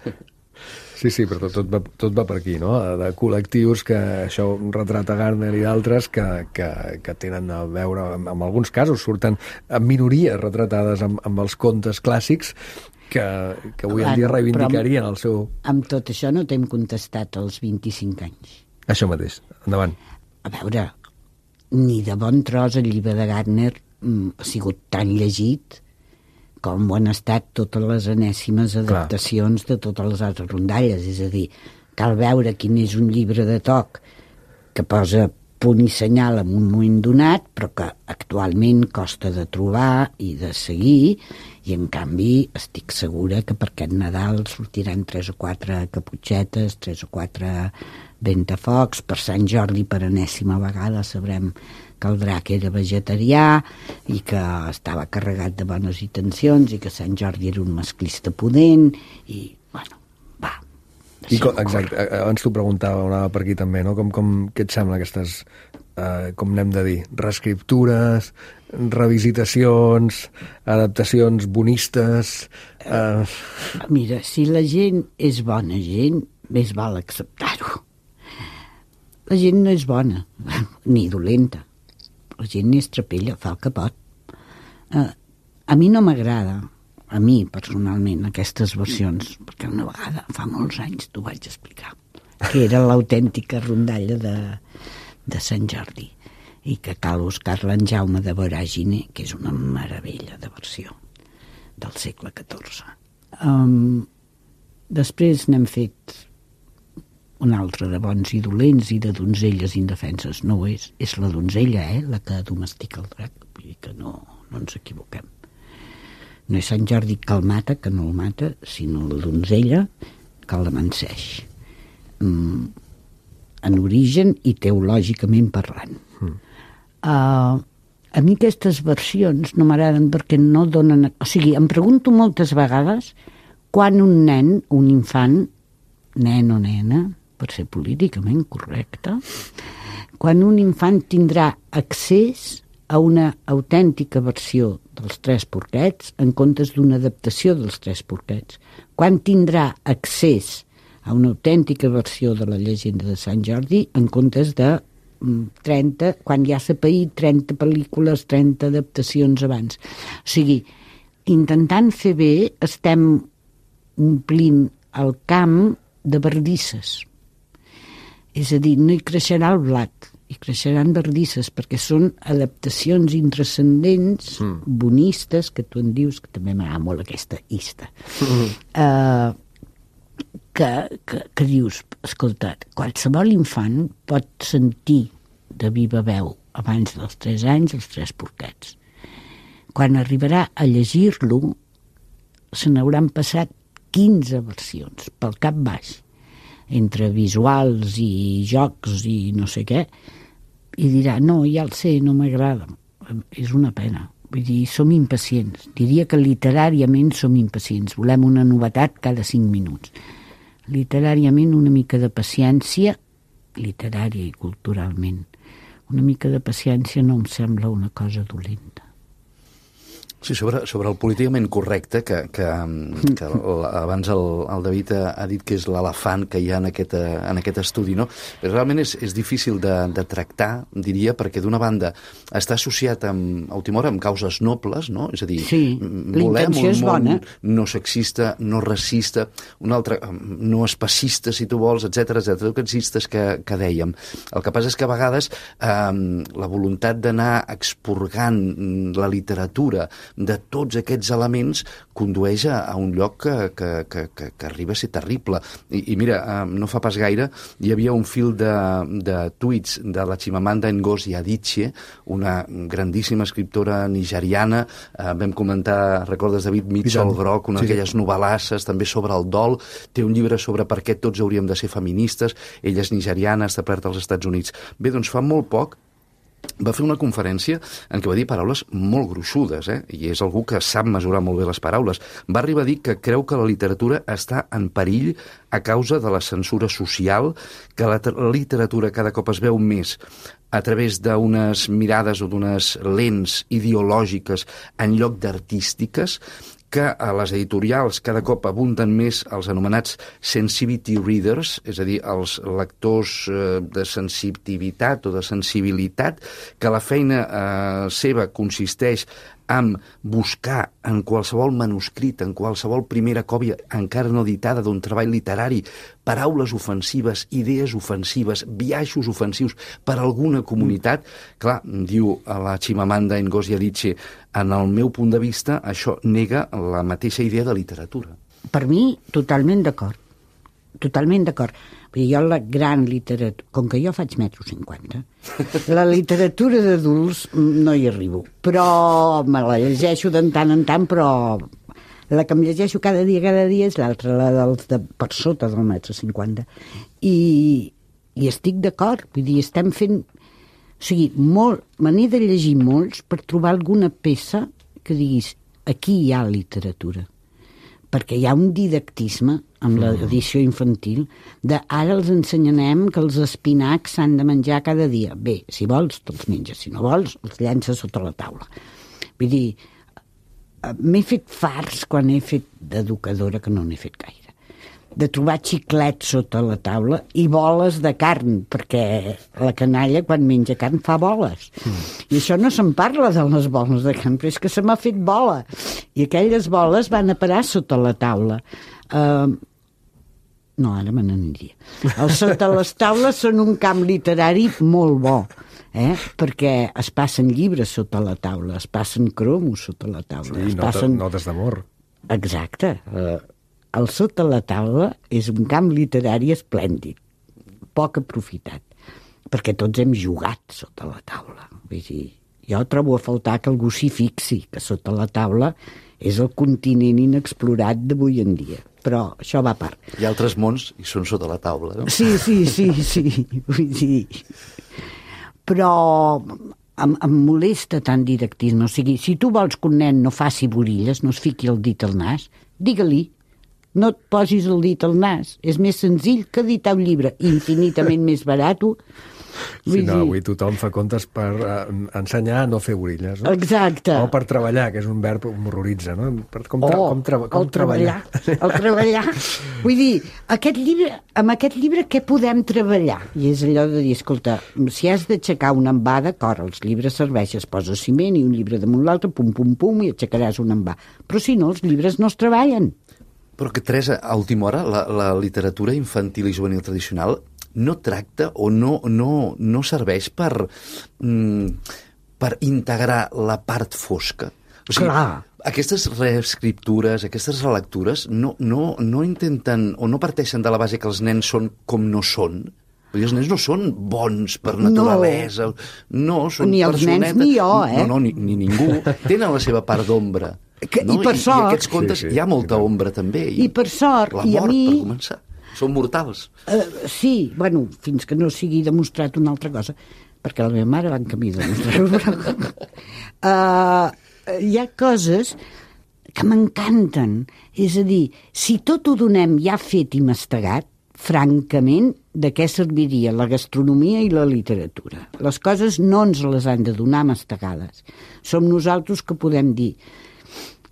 Sí, sí, però tot va, tot va per aquí, no? De col·lectius que això retrata Gardner i d'altres que, que, que tenen a veure, en, en alguns casos surten en minories retratades amb, amb els contes clàssics que, que avui en dia reivindicarien el seu... Amb tot això no t'hem contestat als vint-i-cinc anys. Això mateix, endavant. A veure, ni de bon tros el llibre de Gardner mm, ha sigut tan llegit com ho han estat totes les enèsimes adaptacions Clar. de totes les altres rondalles. És a dir, cal veure quin és un llibre de toc que posa punt i senyal en un moment donat, però que actualment costa de trobar i de seguir, i en canvi estic segura que per aquest Nadal sortiran tres o quatre caputxetes, tres o quatre ventafocs. Per Sant Jordi, per enèsima vegada, sabrem que el drac era vegetarià i que estava carregat de bones intencions i que Sant Jordi era un masclista pudent i, bueno, va. I com, exacte, abans t'ho preguntava, anava per aquí també, no? Com, com, què et sembla aquestes, eh, com n'hem de dir, reescriptures, revisitacions, adaptacions bonistes... Eh... Mira, si la gent és bona gent, més val acceptar-ho. La gent no és bona, ni dolenta. La gent ni estrapella, fa el que pot. Uh, a mi no m'agrada, a mi personalment, aquestes versions, perquè una vegada, fa molts anys, t'ho vaig explicar, que era l'autèntica rondalla de, de Sant Jordi i que cal buscar-la en Jaume de Voràgine, que és una meravella de versió del segle catorze. Um, després n'hem fet un altre de bons i dolents i de donzelles indefenses. No ho és, és la donzella, eh, la que domestica el drac. Vull dir que no, no ens equivoquem. No és Sant Jordi que el mata, que no el mata, sinó la donzella que l'amanseix. Mm, en origen i teològicament parlant. Mm. Uh, a mi aquestes versions no m'agraden perquè no donen... O sigui, em pregunto moltes vegades quan un nen, un infant, nen o nena, per ser políticament correcte, quan un infant tindrà accés a una autèntica versió dels Tres Porquets en comptes d'una adaptació dels Tres Porquets. Quan tindrà accés a una autèntica versió de la llegenda de Sant Jordi en comptes de trenta, quan ja s'ha paït trenta pel·lícules, trenta adaptacions abans. O sigui, intentant fer bé estem omplint el camp de bardisses. És a dir, no hi creixerà el blat, hi creixeran bardisses, perquè són adaptacions intrascendents, mm. bonistes, que tu en dius, que també m'agrada molt aquesta ista, mm. uh, que, que, que dius, escolta, qualsevol infant pot sentir de viva veu abans dels tres anys els Tres Porquets. Quan arribarà a llegir-lo, se n'hauran passat quinze versions, pel cap baix, entre visuals i jocs i no sé què, i dirà, no, ja el sé, no m'agrada. És una pena. Vull dir, som impacients. Diria que literàriament som impacients. Volem una novetat cada cinc minuts. Literàriament una mica de paciència, literària i culturalment, una mica de paciència no em sembla una cosa dolenta. Sí, sobre, sobre el políticament correcte, que, que, que abans el, el David ha, ha dit que és l'elefant que hi ha en aquest, en aquest estudi, no? Realment és, és difícil de, de tractar, diria, perquè d'una banda està associat amb, a última hora, amb causes nobles, no? És a dir, sí, volem un és món bona. no sexista, no racista, un altre, no especista, si tu vols, etcètera, etcètera, aquests existes que, que dèiem. El que passa és que a vegades eh, la voluntat d'anar expurgant la literatura de tots aquests elements condueix a, a un lloc que, que, que, que, que arriba a ser terrible. I, i mira, eh, no fa pas gaire hi havia un fil de, de tuits de la Chimamanda Ngozi Adichie, una grandíssima escriptora nigeriana, eh, vam comentar, recordes, David, Mitchell Groc, una d'aquelles sí. novel·lasses també sobre el dol, té un llibre sobre per què tots hauríem de ser feministes, ella és nigeriana, establerta als Estats Units. Bé, doncs fa molt poc va fer una conferència en què va dir paraules molt gruixudes, eh? I és algú que sap mesurar molt bé les paraules. Va arribar a dir que creu que la literatura està en perill a causa de la censura social, que la literatura cada cop es veu més a través d'unes mirades o d'unes lents ideològiques en lloc d'artístiques, que a les editorials cada cop abunden més els anomenats sensitivity readers, és a dir, els lectors eh, de sensitivitat o de sensibilitat, que la feina eh, seva consisteix amb buscar en qualsevol manuscrit, en qualsevol primera còpia encara no editada d'un treball literari, paraules ofensives, idees ofensives, biaixos ofensius per a alguna comunitat, clar, diu la Chimamanda Ngozi Adichie, en el meu punt de vista, això nega la mateixa idea de literatura. Per mi, totalment d'acord. Totalment d'acord. Jo la gran literatura, com que jo faig metro cinquanta, la literatura d'adults no hi arribo, però me la llegeixo de tant en tant, però la que em llegeixo cada dia, cada dia és l'altra, la dels de per sota del metro cinquanta. I, i estic d'acord, vull dir, estem fent... O sigui, molt, me n'he de llegir molts per trobar alguna peça que diguis, aquí hi ha literatura. Perquè hi ha un didactisme amb l'edició infantil de ara els ensenyarem que els espinacs s'han de menjar cada dia. Bé, si vols, te'ls menges. Si no vols, els llences sota la taula. Vull dir, m'he fet farts quan he fet d'educadora, que no n'he fet gaire, de trobar xiclets sota la taula i boles de carn, perquè la canalla quan menja carn fa boles. Mm. I això no se'n parla de les boles de carn, però és que se m'ha fet bola. I aquelles boles van a parar sota la taula. Uh, no, ara me n'aniria. Els sota les taules són un camp literari molt bo, eh? Perquè es passen llibres sota la taula, es passen cromos sota la taula. Sí, es nota, passen... notes d'amor. Exacte. Uh, el sota la taula és un camp literari esplèndid, poc aprofitat, perquè tots hem jugat sota la taula. Vull dir, jo trobo a faltar que algú s'hi fixi, que sota la taula és el continent inexplorat d'avui en dia. Però això va a part. Hi ha altres mons i són sota la taula, no? Sí, sí, sí, sí. Vull dir... Però em, em molesta tant didactisme. O sigui, si tu vols que un nen no faci borilles, no es fiqui el dit al nas, digue-li, no et posis el dit al nas. És més senzill que editar un llibre infinitament més barat. Sí, no, avui tothom fa comptes per uh, ensenyar a no fer borilles, no? Exacte. O per treballar, que és un verb que m'horroritza, no? Per com, tra oh, com, tra com el treballar. treballar. El treballar. Vull dir, aquest llibre, amb aquest llibre què podem treballar? I és allò de dir, escolta, si has d'aixecar una envà, d'acord, els llibres serveixen, poses ciment i un llibre damunt l'altre, pum, pum, pum, i aixecaràs una envà. Però si no, els llibres no es treballen. Però que, Teresa, a última hora, la, la literatura infantil i juvenil tradicional no tracta o no, no, no serveix per, mm, per integrar la part fosca. O sigui, clar. Aquestes reescriptures, aquestes relectures no, no, no intenten o no parteixen de la base que els nens són com no són. Els nens no són bons per naturalesa. No, no són ni els personetes. Nens ni jo, eh? No, no, ni, ni ningú. Tenen la seva part d'ombra. Que, no? I per I, sort... I aquests contes sí, sí, hi ha molta ombra també. I, I per sort... La i mort, a mi... per començar. Són mortals. Uh, sí, bueno, fins que no sigui demostrat una altra cosa, perquè la meva mare va en camí de demostrar-ho. uh, hi ha coses que m'encanten. És a dir, si tot ho donem ja fet i mastegat, francament, de què serviria la gastronomia i la literatura? Les coses no ens les han de donar mastegades. Som nosaltres que podem dir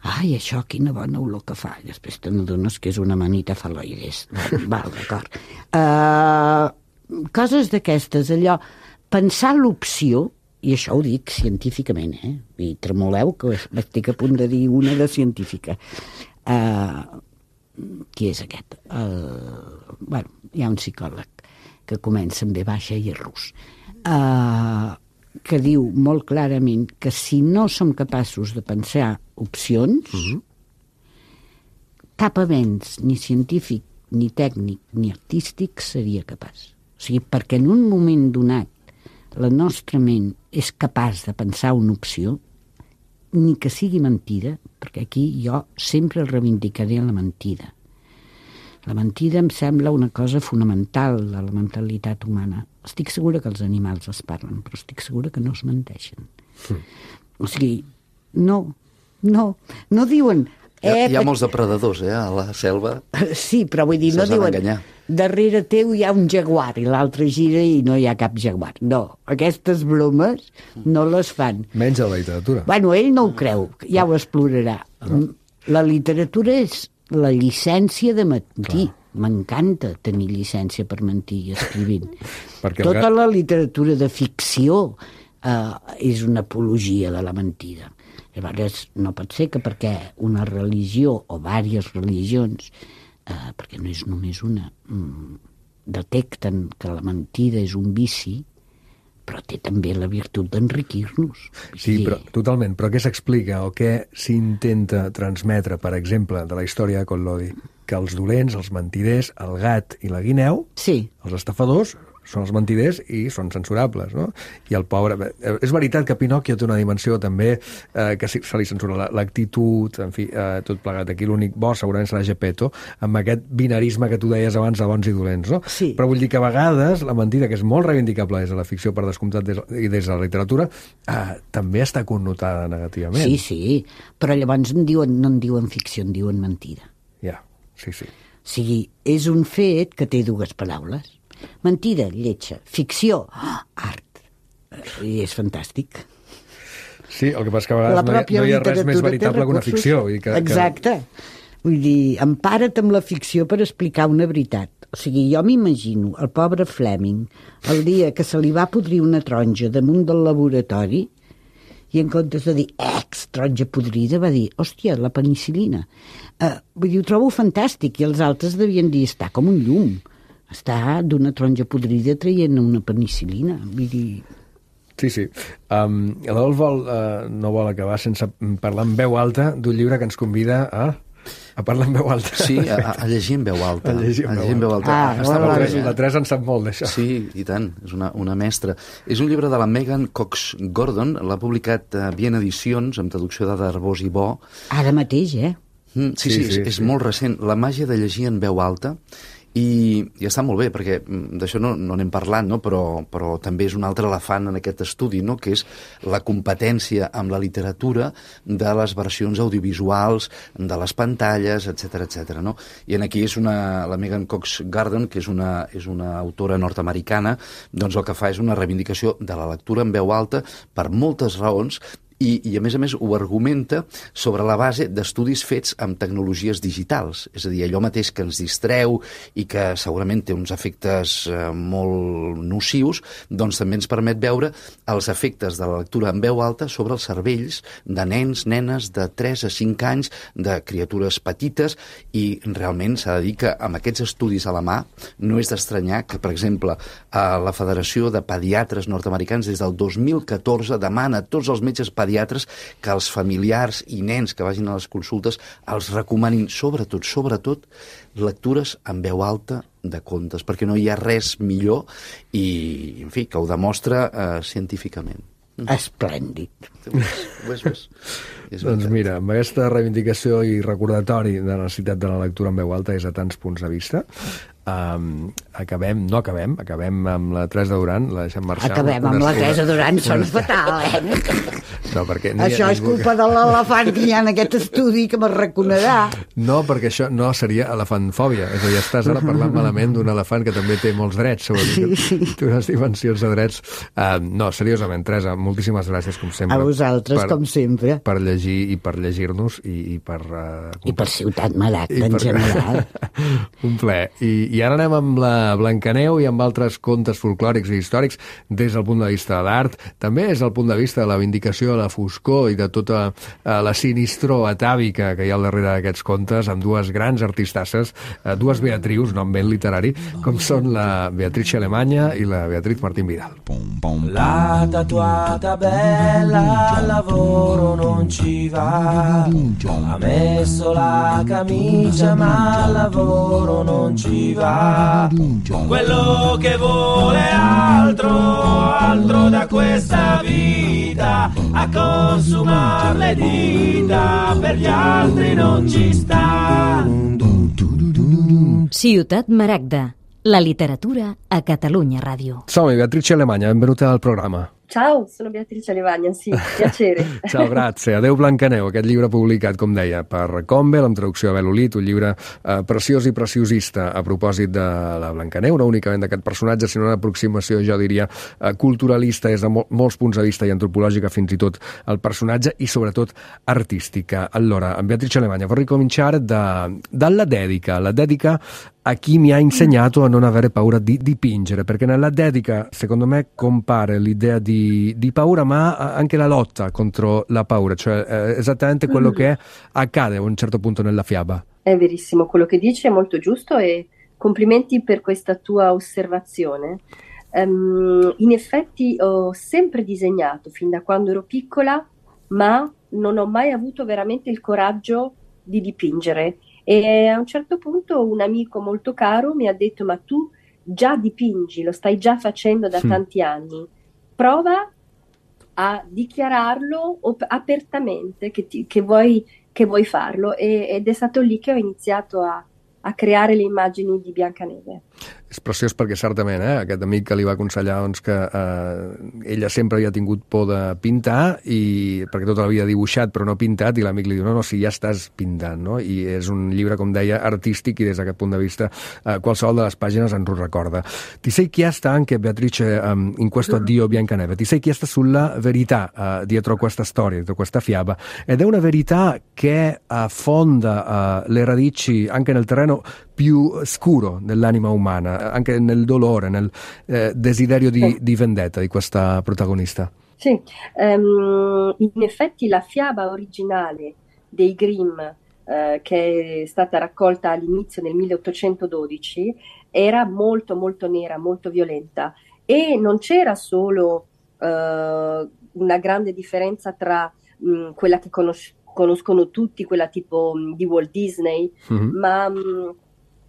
ai, això, quina bona olor que fa. I després te n'adones que és una manita faloides. Val, d'acord. Uh, coses d'aquestes, allò, pensar l'opció, i això ho dic científicament, eh? I tremoleu que estic a punt de dir una de científica. Uh, qui és aquest? Uh, bueno, hi ha un psicòleg que comença amb ve baixa i és rus. Uh, que diu molt clarament que si no som capaços de pensar opcions, uh-huh. cap avenç ni científic, ni tècnic, ni artístic seria capaç. O sigui, perquè en un moment donat la nostra ment és capaç de pensar una opció, ni que sigui mentida, perquè aquí jo sempre reivindicaré la mentida. La mentida em sembla una cosa fonamental de la mentalitat humana. Estic segura que els animals es parlen, però estic segura que no es menteixen. Mm. O sigui, no, no, no diuen... Eh, hi, ha, hi ha molts depredadors, eh, a la selva. Sí, però vull dir, no diuen... Enganyar. Darrere teu hi ha un jaguar i l'altre gira i no hi ha cap jaguar. No, aquestes bromes no les fan. Menys a la literatura. Bueno, ell no ho creu, ja ho explorarà. No. La literatura és la llicència de mentir. M'encanta tenir llicència per mentir escrivint. Perquè tota la literatura de ficció eh, és una apologia de la mentida. Llavors, no pot ser que perquè una religió o diverses religions, eh, perquè no és només una, mm, detecten que la mentida és un vici, però té també la virtut d'enriquir-nos. Sí, però, totalment. Però què s'explica o què s'intenta transmetre, per exemple, de la història de Collodi? Que els dolents, els mentiders, el gat i la guineu, sí. els estafadors, són els mentiders i són censurables, no? I el pobre... És veritat que Pinòquio té una dimensió també eh, que se li censura l'actitud, en fi, eh, tot plegat. Aquí l'únic bo segurament serà Geppetto, amb aquest binarisme que tu deies abans de bons i dolents, no? Sí. Però vull dir que a vegades la mentida, que és molt reivindicable des de la ficció per descomptat des, i des de la literatura, eh, també està connotada negativament. Sí, sí, però llavors en diuen, no en diuen ficció, en diuen mentida. Ja, sí, sí. O sigui, és un fet que té dues paraules. Mentida, lletja. Ficció, oh, art. I és fantàstic. Sí, el que passa que a vegades no hi, no hi ha res més veritable que una ficció. I que, Exacte. Que... Vull dir, empara't amb la ficció per explicar una veritat. O sigui, jo m'imagino el pobre Fleming el dia que se li va podrir una taronja damunt del laboratori i en comptes de dir, ex, taronja podrida, va dir, hòstia, la penicil·lina. Uh, vull dir, ho trobo fantàstic, i els altres devien dir, està com un llum. Està d'una taronja podrida traient una penicil·lina. Vull dir... Sí, sí. Um, L'Adolf vol, uh, no vol acabar sense parlar en veu alta d'un llibre que ens convida a... a parlar en veu alta. Sí, a, a llegir en veu alta. A llegir en, a veu, llegir en veu alta. Ah, Està bueno, molt la, bé, la Teresa en sap molt d'això. Sí, i tant, és una, una mestra. És un llibre de la Megan Cox Gordon, l'ha publicat a Viena Edicions, amb traducció de Darbós i Bo. Ara mateix, eh? Mm, sí, sí, sí, sí, és, és sí. molt recent. La màgia de llegir en veu alta. I, i està molt bé, perquè d'això no no n'hem parlat, no? però, però també és un altre elefant en aquest estudi, no? Que és la competència amb la literatura de les versions audiovisuals, de les pantalles, etcètera etcètera. No? I en aquí és una, la Megan Cox Gordon, que és una, és una autora nord-americana, doncs el que fa és una reivindicació de la lectura en veu alta per moltes raons. I, i a més a més ho argumenta sobre la base d'estudis fets amb tecnologies digitals, és a dir, allò mateix que ens distreu i que segurament té uns efectes eh, molt nocius, doncs també ens permet veure els efectes de la lectura en veu alta sobre els cervells de nens, nenes de tres a cinc anys, de criatures petites, i realment s'ha de dir que amb aquests estudis a la mà no és d'estranyar que, per exemple, a la Federació de Pediatres Nord-Americans des del dos mil catorze demana a tots els metges pediatres pediatres que els familiars i nens que vagin a les consultes els recomanin, sobretot, sobretot, lectures en veu alta de contes, perquè no hi ha res millor i, en fi, que ho demostra eh, científicament. Esplèndid. Ho és, ho és, ho és. És Doncs mira, amb aquesta reivindicació i recordatori de la necessitat de la lectura en veu alta des de tants punts de vista, Um, acabem, no acabem, acabem amb la Teresa Duran, la deixem marxar. Acabem amb la Teresa Duran, sona fatal, eh? No, perquè no això és culpa que... de l'elefant que hi ha en aquest estudi que me'l reconarà. No, perquè això no seria elefantfòbia, és a dir, estàs ara parlant malament d'un elefant que també té molts drets, sí, sí. Té unes dimensions de drets. Uh, no, seriosament, Teresa, moltíssimes gràcies, com sempre. A vosaltres, per, com sempre. Per llegir i per llegir-nos i, i per... Uh, I per Ciutat Maragda, en per... general. Un plaer. I, I ara anem amb la Blancaneu i amb altres contes folclòrics i històrics des del punt de vista de l'art, també des del punt de vista de la vindicació de la foscor i de tota uh, la sinistror atàvica que hi ha al darrere d'aquests contes, amb dues grans artistasses, uh, dues Beatrius, nom ben literari, com són la Beatrice Alemanya i la Beatriz Martín Vidal. La tatuata bella al lavoro non ci va, ha messo la camicia ma al lavoro non ci va. Quello che vuole altro, altro da questa vita, a consumar le dita, per gli altri non ci sta. Ciutat Maragda, la literatura a Catalunya Ràdio. Som-hi, Beatrice Alemanya, benvenuta al programa. Ciao, sono Beatrice Alemagna, sì, piacere. Ciao, grazie. Adeu Blancaneu, aquest llibre publicat, com deia, per Combel, amb traducció de Bel Olit, un llibre eh, preciós i preciosista a propòsit de la Blancaneu, no únicament d'aquest personatge, sinó una aproximació, jo diria, eh, culturalista des de mol molts punts de vista i antropològica fins i tot el personatge i sobretot artística. Allora, Beatrice Alemagna, vorrei cominciare da, dalla dedica, la dedica a chi mi ha insegnato a non avere paura di dipingere, perché nella dedica secondo me compare l'idea di, di paura, ma anche la lotta contro la paura, cioè eh, esattamente quello che accade a un certo punto nella fiaba. È verissimo, quello che dici è molto giusto e complimenti per questa tua osservazione. Um, in effetti ho sempre disegnato fin da quando ero piccola, ma non ho mai avuto veramente il coraggio di dipingere. E a un certo punto un amico molto caro mi ha detto: ma tu già dipingi, lo stai già facendo da Mm. tanti anni, prova a dichiararlo op- apertamente che, ti- che vuoi, che vuoi farlo. E- ed è stato lì che ho iniziato a, a creare le immagini di Biancaneve. És preciós perquè certament, eh, aquest amic que li va aconsellar doncs, que eh, ella sempre havia tingut por de pintar, i perquè tota l'havia dibuixat però no pintat, i l'amic li diu, no, no, si ja estàs pintant, no? I és un llibre, com deia, artístic, i des d'aquest punt de vista eh, qualsevol de les pàgines ens ho ricorda. Ti sei chiesta anche, Beatrice, um, in questo addio Biancaneve, ti sei chiesta sulla verità uh, dietro questa storia, dietro questa fiaba, ed è una verità che affonda uh, le radici anche nel terreno più scuro dell'anima umana, anche nel dolore, nel eh, desiderio di, di vendetta di questa protagonista. Sì, ehm, in effetti la fiaba originale dei Grimm, eh, che è stata raccolta all'inizio nel milleottocentododici, era molto molto nera, molto violenta, e non c'era solo eh, una grande differenza tra mh, quella che conos- conoscono tutti, quella tipo mh, di Walt Disney, Mm-hmm. ma mh,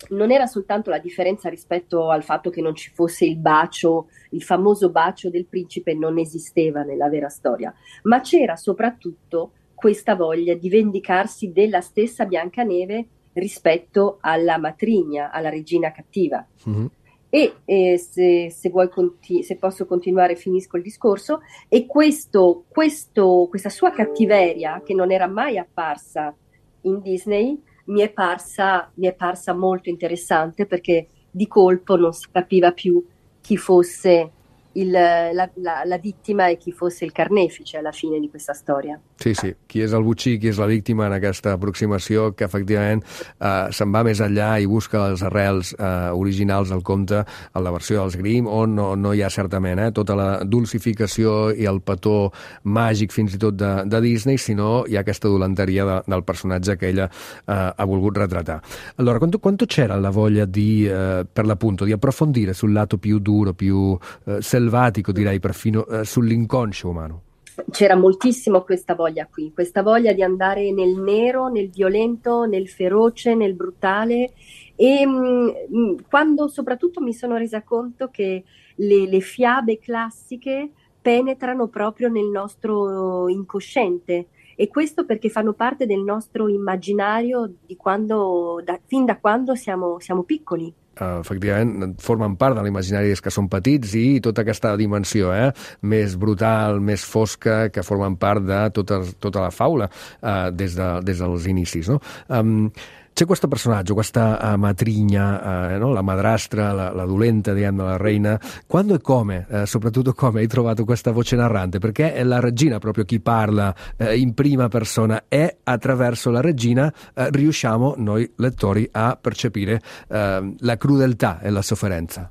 non era soltanto la differenza rispetto al fatto che non ci fosse il bacio, il famoso bacio del principe non esisteva nella vera storia, ma c'era soprattutto questa voglia di vendicarsi della stessa Biancaneve rispetto alla matrigna, alla regina cattiva. Mm-hmm. E eh, se, se, vuoi conti- se posso continuare, finisco il discorso. E questo, questo, questa sua cattiveria, che non era mai apparsa in Disney, mi è parsa, mi è parsa molto interessante, perché di colpo non si capiva più chi fosse il, la, la, la vittima e chi fosse il carnefice alla fine di questa storia. Sí, sí. Qui és el botxí, qui és la víctima en aquesta aproximació que efectivament eh, se'n va més enllà i busca les arrels eh, originals del conte, en la versió dels Grimm, on no, no hi ha certament eh, tota la dulcificació i el petó màgic fins i tot de, de Disney, sinó hi ha aquesta dolenteria de, del personatge che ella eh, ha volgut retratar. Allora, quanto, quanto c'era la voglia di, eh, per l'appunto, di approfondire sul lato più duro, più eh, selvatico, direi perfino eh, sull'inconscio umano? C'era moltissimo questa voglia qui, questa voglia di andare nel nero, nel violento, nel feroce, nel brutale, e mh, quando soprattutto mi sono resa conto che le, le fiabe classiche penetrano proprio nel nostro incosciente, e questo perché fanno parte del nostro immaginario di quando, da, fin da quando siamo, siamo piccoli. Uh, efectivament, formen part de l'imaginari des que són petits, i tota aquesta dimensió eh, més brutal, més fosca, que formen part de tota, tota la faula uh, des, de, des dels inicis, no? Um, c'è questo personaggio, questa uh, matrigna, uh, no? La madrastra, la, la dolenta, diciamo, la reina. Quando e come, uh, soprattutto come hai trovato questa voce narrante? Perché è la regina proprio chi parla uh, in prima persona, e attraverso la regina uh, riusciamo noi lettori a percepire uh, la crudeltà e la sofferenza.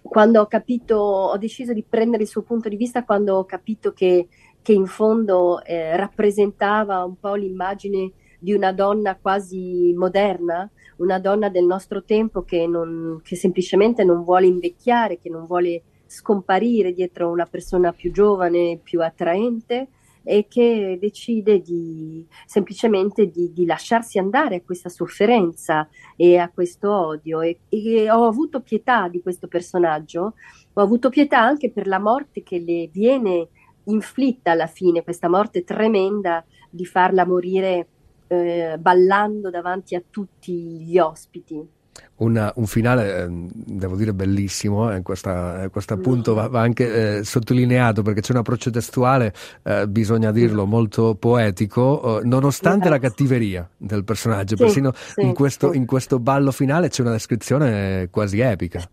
Quando ho capito, ho deciso di prendere il suo punto di vista, quando ho capito che, che in fondo eh, rappresentava un po' l'immagine di una donna quasi moderna, una donna del nostro tempo che, non, che semplicemente non vuole invecchiare, che non vuole scomparire dietro una persona più giovane, più attraente, e che decide di, semplicemente di, di lasciarsi andare a questa sofferenza e a questo odio. E, e ho avuto pietà di questo personaggio, ho avuto pietà anche per la morte che le viene inflitta alla fine, questa morte tremenda di farla morire Eh, ballando davanti a tutti gli ospiti. Una, un finale, eh, devo dire, bellissimo, eh, questa, eh, questo appunto va, va anche eh, sottolineato, perché c'è un approccio testuale, eh, bisogna dirlo, molto poetico, eh, nonostante la cattiveria del personaggio. Sì, Persino sì, in, questo, sì. in questo ballo finale c'è una descrizione quasi epica.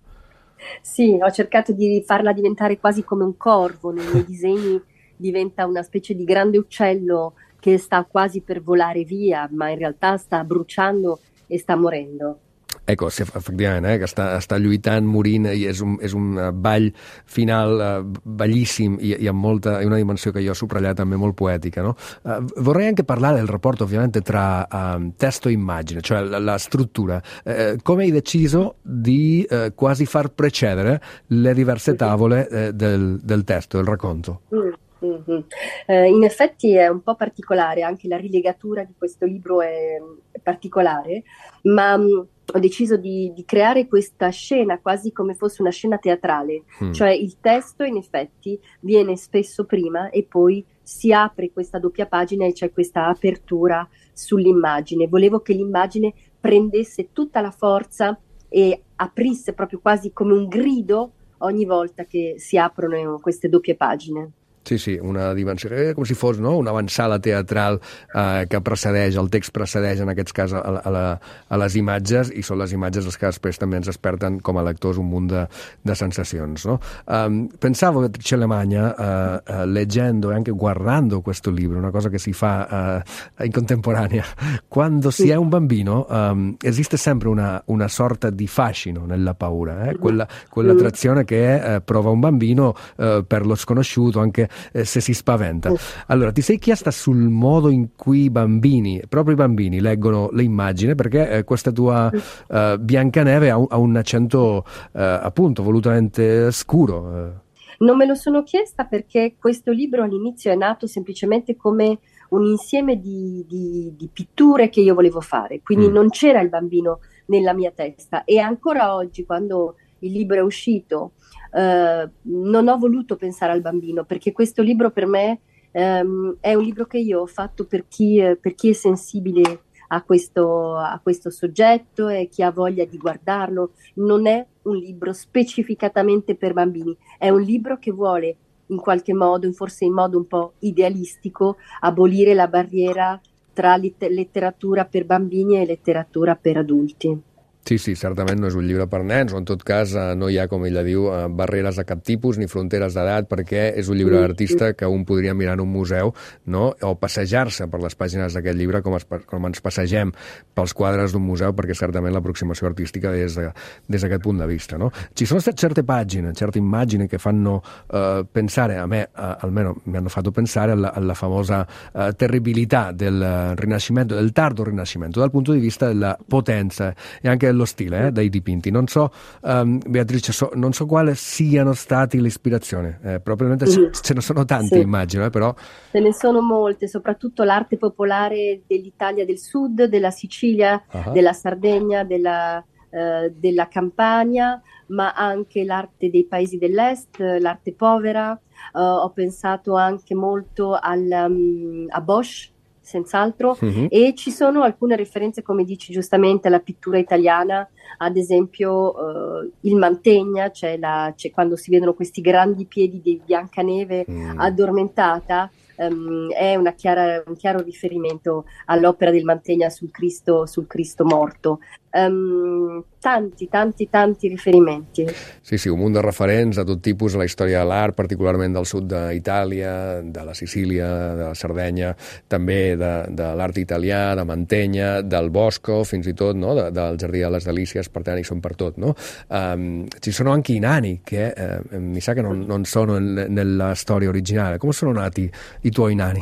Sì, ho cercato di farla diventare quasi come un corvo. Nei miei disegni diventa una specie di grande uccello che sta quasi per volare via, ma in realtà sta bruciando e sta morendo. Ecco, sí, efectivament, eh, que està, està lluitant, morint, i és un, és un ball final eh, bellíssim i, i amb molta, una dimensió che io ho subragliato també molt poetica, no? Uh, vorrei anche parlare del rapporto ovviamente tra uh, testo e immagine, cioè la, la struttura. Uh, come hai deciso di uh, quasi far precedere le diverse tavole uh, del, del testo, del racconto? Mm. Mm-hmm. Eh, in effetti è un po' particolare, anche la rilegatura di questo libro è, è particolare, ma mh, ho deciso di, di creare questa scena quasi come fosse una scena teatrale, mm. cioè il testo in effetti viene spesso prima e poi si apre questa doppia pagina e c'è questa apertura sull'immagine. Volevo che l'immagine prendesse tutta la forza e aprisse proprio quasi come un grido ogni volta che si aprono queste doppie pagine. Sí, sí, una dimensió, com si fos, no?, una avançada teatral eh, que precedeix, el text precedeix en aquest cas a, a, la, a les imatges, i són les imatges les que després també ens desperten com a lectors un munt de, de sensacions, no? Um, pensavo, Beatrice Alemagna, uh, uh, leggendo e anche guardando questo libro, una cosa che si fa uh, in contemporanea, quando si è un bambino um, esiste sempre una, una sorta di fascino nella paura, eh? quella, quell'attrazione che uh, prova un bambino uh, per lo sconosciuto, anche Eh, se si spaventa. Allora, ti sei chiesta sul modo in cui i bambini, proprio i bambini, leggono le immagini, perché eh, questa tua eh, Biancaneve ha un, ha un accento eh, appunto volutamente scuro. Non me lo sono chiesta perché questo libro all'inizio è nato semplicemente come un insieme di, di, di pitture che io volevo fare, quindi mm. non c'era il bambino nella mia testa, e ancora oggi, quando il libro è uscito, Uh, non ho voluto pensare al bambino, perché questo libro per me um, è un libro che io ho fatto per chi, uh, per chi è sensibile a questo, a questo soggetto e chi ha voglia di guardarlo. Non è un libro specificatamente per bambini, è un libro che vuole in qualche modo, forse in modo un po' idealistico, abolire la barriera tra lit- letteratura per bambini e letteratura per adulti. Sí, sí, certament no és un llibre per nens, o en tot cas no hi ha, com ella diu, barreres de cap tipus ni fronteres d'edat, perquè és un llibre d'artista que un podria mirar en un museu, no?, o passejar-se per les pàgines d'aquest llibre com, es, com ens passegem pels quadres d'un museu, perquè certament l'aproximació artística des, de, des d'aquest punt de vista, no? Ci sono state certe pagine, certe immagini che fanno uh, pensare, a me uh, almeno mi hanno fatto pensare alla, alla famosa uh, terribilità del Rinascimento, del tardo Rinascimento, dal punto di vista della potenza e anche lo stile eh, dai dipinti. Non so, um, Beatrice, so, non so quale siano stati l'ispirazione, eh, probabilmente mm. ce ne sono tante, sì. immagino, eh, però... Ce ne sono molte, soprattutto l'arte popolare dell'Italia del Sud, della Sicilia, uh-huh. della Sardegna, della, uh, della Campania, ma anche l'arte dei paesi dell'Est, l'arte povera. Uh, ho pensato anche molto al, um, a Bosch, senz'altro, uh-huh. e ci sono alcune referenze, come dici giustamente, alla pittura italiana, ad esempio uh, il Mantegna, cioè, la, cioè quando si vedono questi grandi piedi di Biancaneve mm. addormentata, um, è una chiara, un chiaro riferimento all'opera del Mantegna sul Cristo, sul Cristo morto. Um, tanti, tanti, tanti riferimenti. Sí, sí, un munt de referents a tot tipus a la història de l'art, particularment del sud d'Itàlia, de la Sicília, de la Sardenya, també de, de l'art italià, de Mantegna, del Bosco, fins i tot, no?, de, del Jardí de les Delícies, per tant, hi són per tot, no? Um, ci sono anche i nani, che eh, mi sa che non, non sono nella storia originale. Come sono nati i tuoi nani?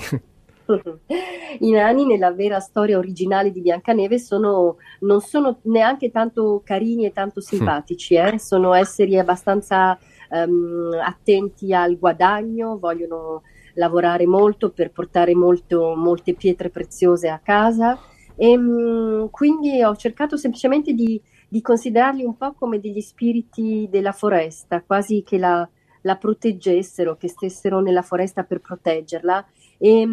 I nani nella vera storia originale di Biancaneve sono, non sono neanche tanto carini e tanto simpatici, eh? Sono esseri abbastanza um, attenti al guadagno, vogliono lavorare molto per portare molto, molte pietre preziose a casa, e um, quindi ho cercato semplicemente di, di considerarli un po' come degli spiriti della foresta, quasi che la, la proteggessero, che stessero nella foresta per proteggerla. E,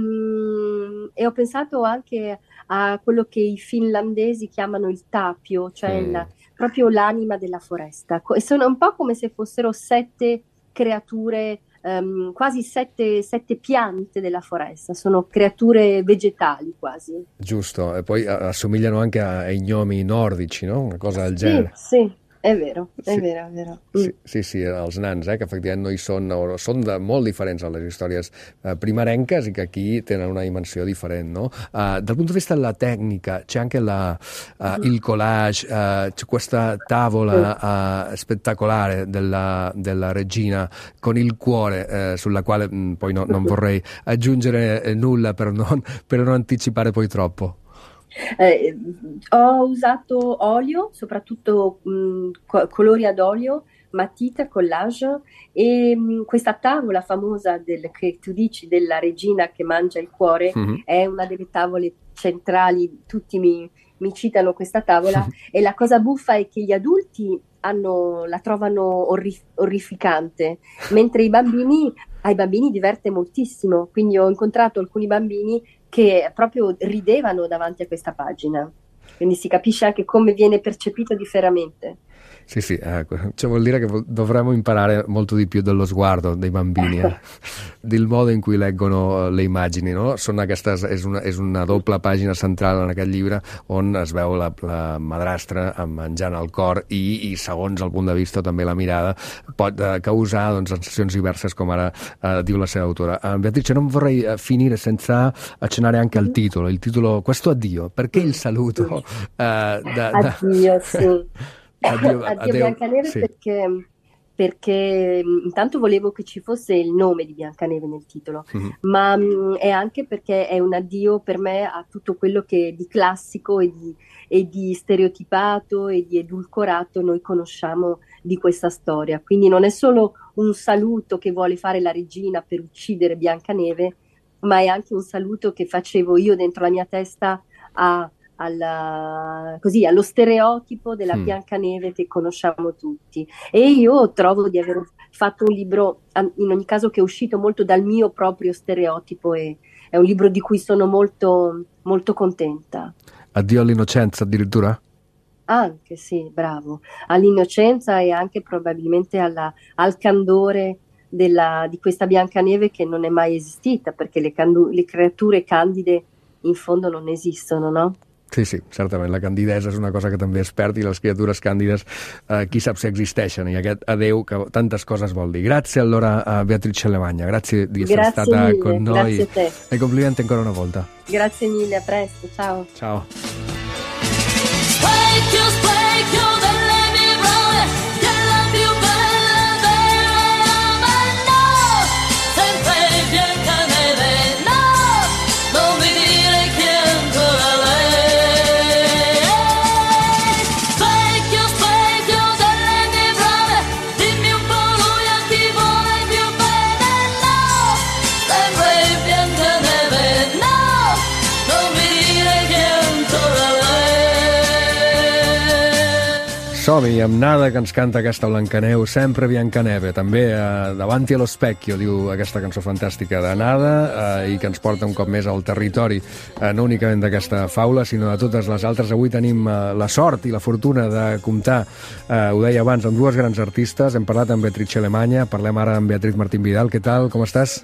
e ho pensato anche a quello che i finlandesi chiamano il tapio, cioè mm. la, proprio l'anima della foresta. Sono un po' come se fossero sette creature, um, quasi sette, sette piante della foresta, sono creature vegetali quasi. Giusto, e poi assomigliano anche ai gnomi nordici, no? Una cosa del sì, genere. Sì, È vero, è Sí. vero, è vero. Sí, sí, sí, els nans, eh, que efectivament no hi són, o són de molt diferents a les històries eh, primerenques i que aquí tenen una dimensió different, no? Uh, dal punto di vista della tecnica, c'è anche la, uh, il collage, uh, c'è questa tavola uh, spettacolare della, della regina con il cuore, eh, sulla quale mh, poi no, non vorrei aggiungere eh, nulla per non, per non anticipare poi troppo. Eh, ho usato olio, soprattutto mh, co- colori ad olio, matita, collage e mh, questa tavola famosa del, che tu dici della regina che mangia il cuore Mm-hmm. è una delle tavole centrali, tutti mi, mi citano questa tavola e la cosa buffa è che gli adulti hanno, la trovano orrif- orrificante, mentre i bambini, ai bambini diverte moltissimo, quindi ho incontrato alcuni bambini che proprio ridevano davanti a questa pagina, quindi si capisce anche come viene percepito differamente. Sì, sì, eh, cioè vuol dire che vo- dovremmo imparare molto di più dello sguardo dei bambini, eh? del modo in cui leggono le immagini, no? Són aquestes, és, una, és una doble pàgina central en aquest llibre on es veu la, la madrastra menjant el cor i, i segons el punt de vista també la mirada pot eh, causar doncs, sensacions diverses com ara eh, diu la seva autora. Eh, Beatrice, non vorrei eh, finire senza accennare anche al titolo, il titolo Questo addio, perché il saluto? Eh, da, da... Addio, sì. Addio, Addio addio, Biancaneve sì. perché, perché mh, intanto volevo che ci fosse il nome di Biancaneve nel titolo, Mhm. ma mh, è anche perché è un addio per me a tutto quello che di classico e di, e di stereotipato e di edulcorato noi conosciamo di questa storia. Quindi non è solo un saluto che vuole fare la regina per uccidere Biancaneve, ma è anche un saluto che facevo io dentro la mia testa a alla, così, allo stereotipo della Mm. Biancaneve che conosciamo tutti. E io trovo di aver fatto un libro, an- in ogni caso, che è uscito molto dal mio proprio stereotipo e è un libro di cui sono molto, molto contenta. Addio all'innocenza addirittura? Anche, sì, bravo, all'innocenza e anche probabilmente alla- al candore della- di questa Biancaneve che non è mai esistita, perché le, candu- le creature candide in fondo non esistono, no? Sí, sí, certament. La candidesa és una cosa que també es perd i les criatures càndides, eh, qui sap si existeixen, i aquest adeu que tantes coses vol dir. Grazie allora a Beatrice Alemagna, grazie di essere Grazie stata mille, con noi grazie a te. e complimenti ancora una volta. Grazie mille, a presto, ciao. Ciao. Specchio, specchio delle mie prove, che la più bella deve amare, no, sempre Biancaneve, no, non mi dire che ancora lei. Specchio, specchio delle mie prove, dimmi un po' lui a chi vuole più bene, no, sempre Biancaneve, no, non mi dire che ancora lei. Som-hi amb Nada, que ens canta aquesta Blancaneu, sempre Biancaneve, també eh, Davanti allo specchio, diu aquesta cançó fantàstica de Nada, eh, i que ens porta un cop més al territori, eh, no únicament d'aquesta faula, sinó de totes les altres. Avui tenim eh, la sort i la fortuna de comptar, eh, ho deia abans, amb dues grans artistes. Hem parlat amb Beatrice Alemanya, parlem ara amb Beatriz Martín Vidal. Què tal, com estàs?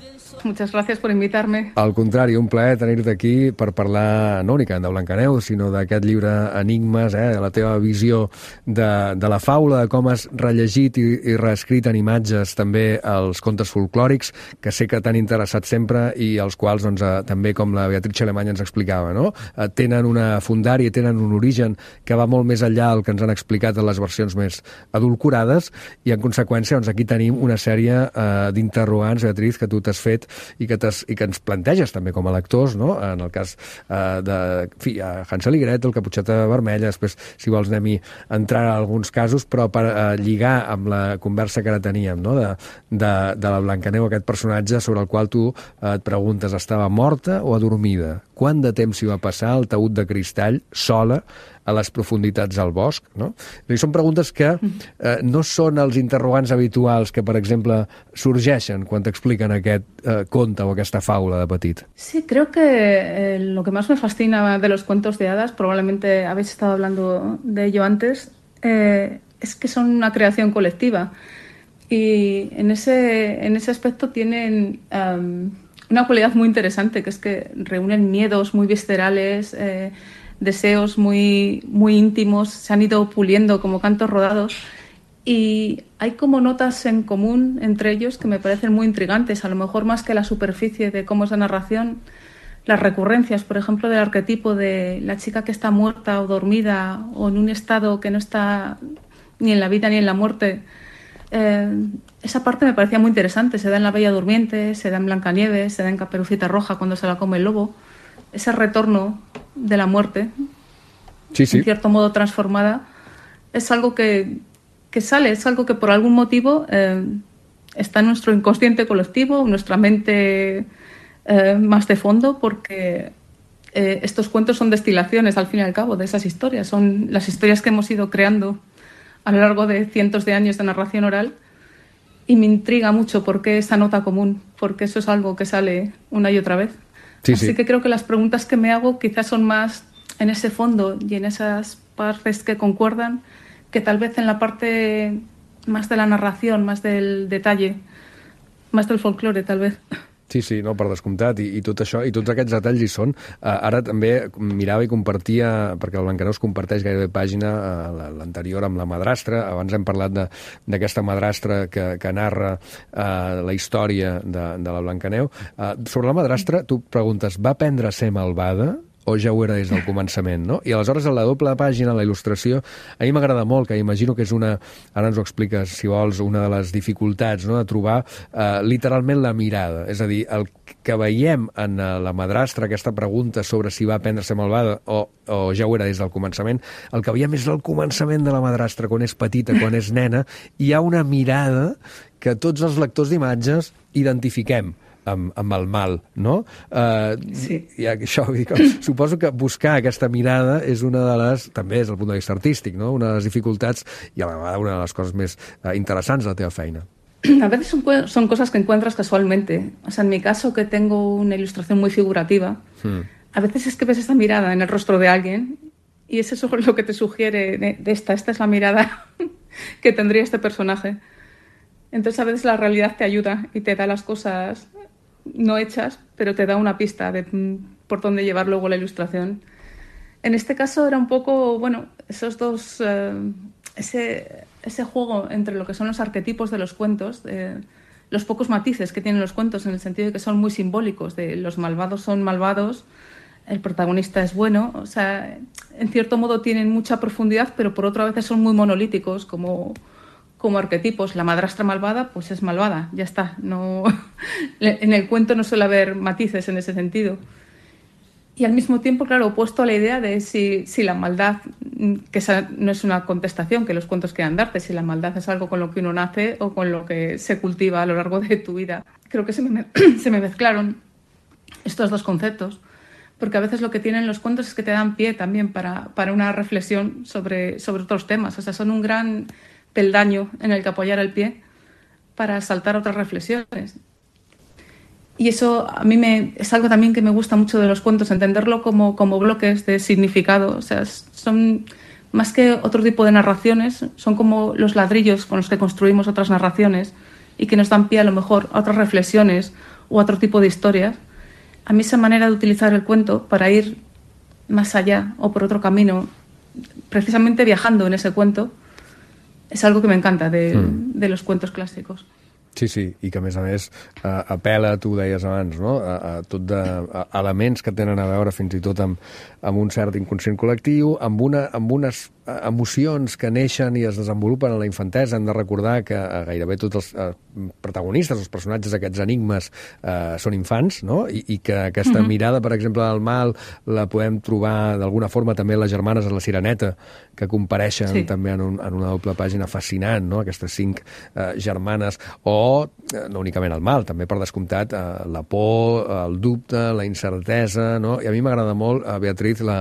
Muchas gracias por invitarme. Al contrari, un plaer tenir-te aquí per parlar no únicament de Blancaneu, sinó d'aquest llibre Enigmes, eh, de la teva visió de, de la faula, de com has rellegit i, i reescrit en imatges també els contes folclòrics, que sé que t'han interessat sempre i els quals, doncs, eh, també, com la Beatrice Alemanya ens explicava, no? Eh, tenen una fundària, tenen un origen que va molt més enllà del que ens han explicat en les versions més adulcorades, i en conseqüència, doncs, aquí tenim una sèrie eh, d'interrogants, Beatriz, que tu t'has fet i que, i que ens planteges també com a lectors, no? En el cas eh, de en fi, Hansel i Gretel, Caputxeta Vermella, després, si vols, anem a entrar a alguns casos, però per eh, lligar amb la conversa que ara teníem, no? de, de, de la Blancaneu, aquest personatge sobre el qual tu eh, et preguntes, estava morta o adormida? Quant de temps s'hi va passar al taüt de cristall, sola, a les profunditats del bosc, no? I són preguntes que eh, no són els interrogants habituals que, per exemple, sorgeixen quan t'expliquen aquest eh, conte o aquesta faula de petit. Sí, creo que eh, lo que más me fascina de los cuentos de hadas, probablemente habéis estado hablando de ello antes, eh, es que son una creación colectiva. Y en ese, en ese aspecto tienen um, una cualidad muy interesante, que es que reúnen miedos muy viscerales, eh, deseos muy, muy íntimos, se han ido puliendo como cantos rodados. Y hay como notas en común entre ellos que me parecen muy intrigantes, a lo mejor más que la superficie de cómo es la narración, las recurrencias, por ejemplo, del arquetipo de la chica que está muerta o dormida o en un estado que no está ni en la vida ni en la muerte. Eh, esa parte me parecía muy interesante, se da en La Bella Durmiente, se da en Blancanieves, se da en Caperucita Roja cuando se la come el lobo. Ese retorno de la muerte, sí, sí. en cierto modo transformada, es algo que... que sale, es algo que por algún motivo eh, está en nuestro inconsciente colectivo, en nuestra mente eh, más de fondo, porque eh, estos cuentos son destilaciones, al fin y al cabo, de esas historias. Son las historias que hemos ido creando a lo largo de cientos de años de narración oral, y me intriga mucho por qué esa nota común, porque eso es algo que sale una y otra vez. Sí, Así sí. que creo que las preguntas que me hago quizás son más en ese fondo y en esas partes que concuerdan, que tal vez en la parte más de la narración, más del detalle, más del folclore, tal vez. Sí, sí, no, per descomptat, i, i tot això, i tots aquests detalls hi són. Uh, ara també mirava i compartia, perquè el Blancaneus comparteix gairebé pàgina, uh, l'anterior amb la madrastra. Abans hem parlat de, d'aquesta madrastra que, que narra uh, la història de, de la Blancaneu. Uh, sobre la madrastra, tu preguntes, va aprendre a ser malvada o ja ho era des del començament, no? I aleshores, a la doble pàgina, la il·lustració, a mi m'agrada molt, que imagino que és una, ara ens ho expliques, si vols, una de les dificultats, no?, de trobar eh, literalment la mirada. És a dir, el que veiem en la madrastra, aquesta pregunta sobre si va aprendre a ser malvada o, o ja ho era des del començament, el que veiem és el començament de la madrastra, quan és petita, quan és nena, i hi ha una mirada que tots els lectors d'imatges identifiquem amb, amb el mal, no? Uh, sí. I això, dic, suposo que buscar aquesta mirada és una de les, també des del punt de vista artístic, no?, una de les dificultats i a la vegada una de les coses més uh, interessants de la teva feina. A veces son, son cosas que encuentras casualmente. O sea, en mi caso, que tengo una ilustración muy figurativa, hmm. a veces es que ves esta mirada en el rostro de alguien y es eso lo que te sugiere de, de esta, esta es la mirada que tendría este personaje. Entonces a veces la realidad te ayuda y te da las cosas no hechas, pero te da una pista de por dónde llevar luego la ilustración. En este caso era un poco, bueno, esos dos, eh, ese, ese juego entre lo que son los arquetipos de los cuentos, eh, los pocos matices que tienen los cuentos en el sentido de que son muy simbólicos, de los malvados son malvados, el protagonista es bueno, o sea, en cierto modo tienen mucha profundidad, pero por otra vez son muy monolíticos, como... como arquetipos. La madrastra malvada, pues es malvada, ya está. No... En el cuento no suele haber matices en ese sentido. Y al mismo tiempo, claro, opuesto a la idea de si, si la maldad, que esa no es una contestación que los cuentos quieran darte, si la maldad es algo con lo que uno nace o con lo que se cultiva a lo largo de tu vida. Creo que se me, se me mezclaron estos dos conceptos, porque a veces lo que tienen los cuentos es que te dan pie también para, para una reflexión sobre, sobre otros temas. O sea, son un gran peldaño en el que apoyar el pie para saltar a otras reflexiones. Y eso a mí me, es algo también que me gusta mucho de los cuentos, entenderlo como, como bloques de significado. O sea, son más que otro tipo de narraciones, son como los ladrillos con los que construimos otras narraciones y que nos dan pie a lo mejor a otras reflexiones o a otro tipo de historias. A mí esa manera de utilizar el cuento para ir más allá o por otro camino, precisamente viajando en ese cuento, és algo que m'encanta de, mm. de los cuentos clàssicos. Sí, sí, i que a més a més uh, apela, tu ho deies abans, no?, a, a tot de a, elements que tenen a veure fins i tot amb, amb un cert inconscient col·lectiu, amb, una, amb unes emocions que neixen i es desenvolupen a la infantesa. Hem de recordar que uh, gairebé tots els uh, protagonistes, els personatges d'aquests enigmes uh, són infants, no?, I, i que aquesta mm-hmm. mirada, per exemple, del mal la podem trobar d'alguna forma també les germanes de la Sireneta, que compareixen sí. també en, un, en una doble pàgina fascinant, no?, aquestes cinc uh, germanes, o no únicament el mal, també per descomptat eh, la por, el dubte, la incertesa, no? I a mi m'agrada molt, eh, Beatriz, la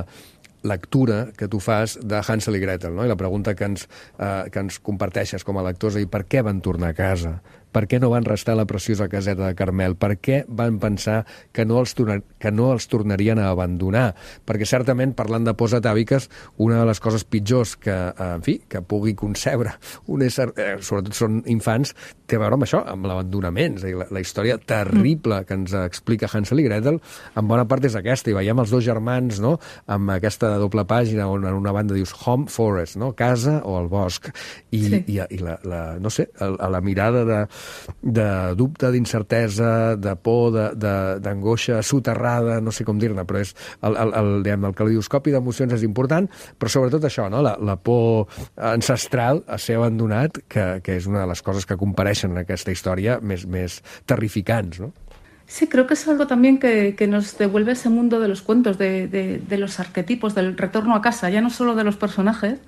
lectura que tu fas de Hansel i Gretel, no? I la pregunta que ens, eh, que ens comparteixes com a lectors, i per què van tornar a casa per què no van restar a la preciosa caseta de Carmel, per què van pensar que no els, tornar, que no els tornarien a abandonar, perquè certament, parlant de pors atàviques, una de les coses pitjors que, en fi, que pugui concebre un ésser, eh, sobretot són infants, té a veure amb això, amb l'abandonament. És a dir, la, la història terrible que ens explica Hansel i Gretel, en bona part és aquesta, i veiem els dos germans, no?, amb aquesta doble pàgina on en una banda dius home, forest, no?, casa o el bosc, i, sí. i, i la, la, no sé, a la mirada de, de dubte, d'incertesa, de por, d'angoixa soterrada, no sé com dir-ne, però és el, el, el, el, el caleidoscopi d'emocions és important, però sobretot això, no?, la, la por ancestral a ser abandonat, que, que és una de les coses que compareixen en aquesta història més, més terrificants, ¿no? Sí, creo que es algo también que, que nos devuelve ese mundo de los cuentos, de, de, de los arquetipos, del retorno a casa, ya no solo de los personajes,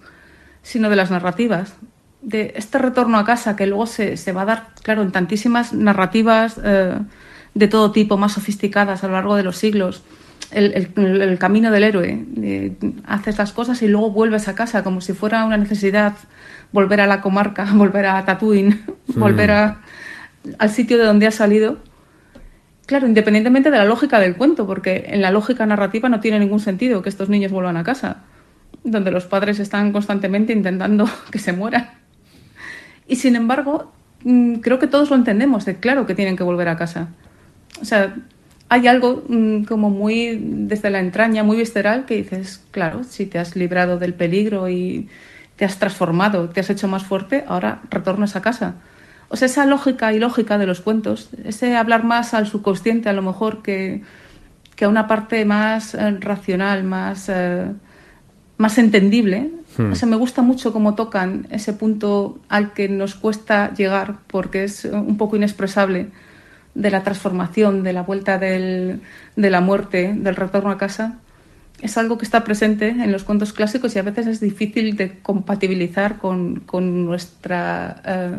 sino de las narrativas. De este retorno a casa que luego se, se va a dar, claro, en tantísimas narrativas eh, de todo tipo, más sofisticadas a lo largo de los siglos. El, el, el camino del héroe. Eh, haces las cosas y luego vuelves a casa, como si fuera una necesidad volver a la comarca, volver a Tatooine, mm. volver a, al sitio de donde has salido. Claro, independientemente de la lógica del cuento, porque en la lógica narrativa no tiene ningún sentido que estos niños vuelvan a casa, donde los padres están constantemente intentando que se mueran. Y sin embargo, creo que todos lo entendemos, de claro que tienen que volver a casa. O sea, hay algo mmm, como muy desde la entraña, muy visceral, que dices, claro, si te has librado del peligro y te has transformado, te has hecho más fuerte, ahora retornas a casa. O sea, esa lógica y lógica de los cuentos, ese hablar más al subconsciente a lo mejor que, que a una parte más eh, racional, más, eh, más entendible. Hmm. O sea, me gusta mucho cómo tocan ese punto al que nos cuesta llegar porque es un poco inexpresable, de la transformación, de la vuelta del, de la muerte, del retorno a casa. Es algo que está presente en los cuentos clásicos y a veces es difícil de compatibilizar con, con nuestra, eh,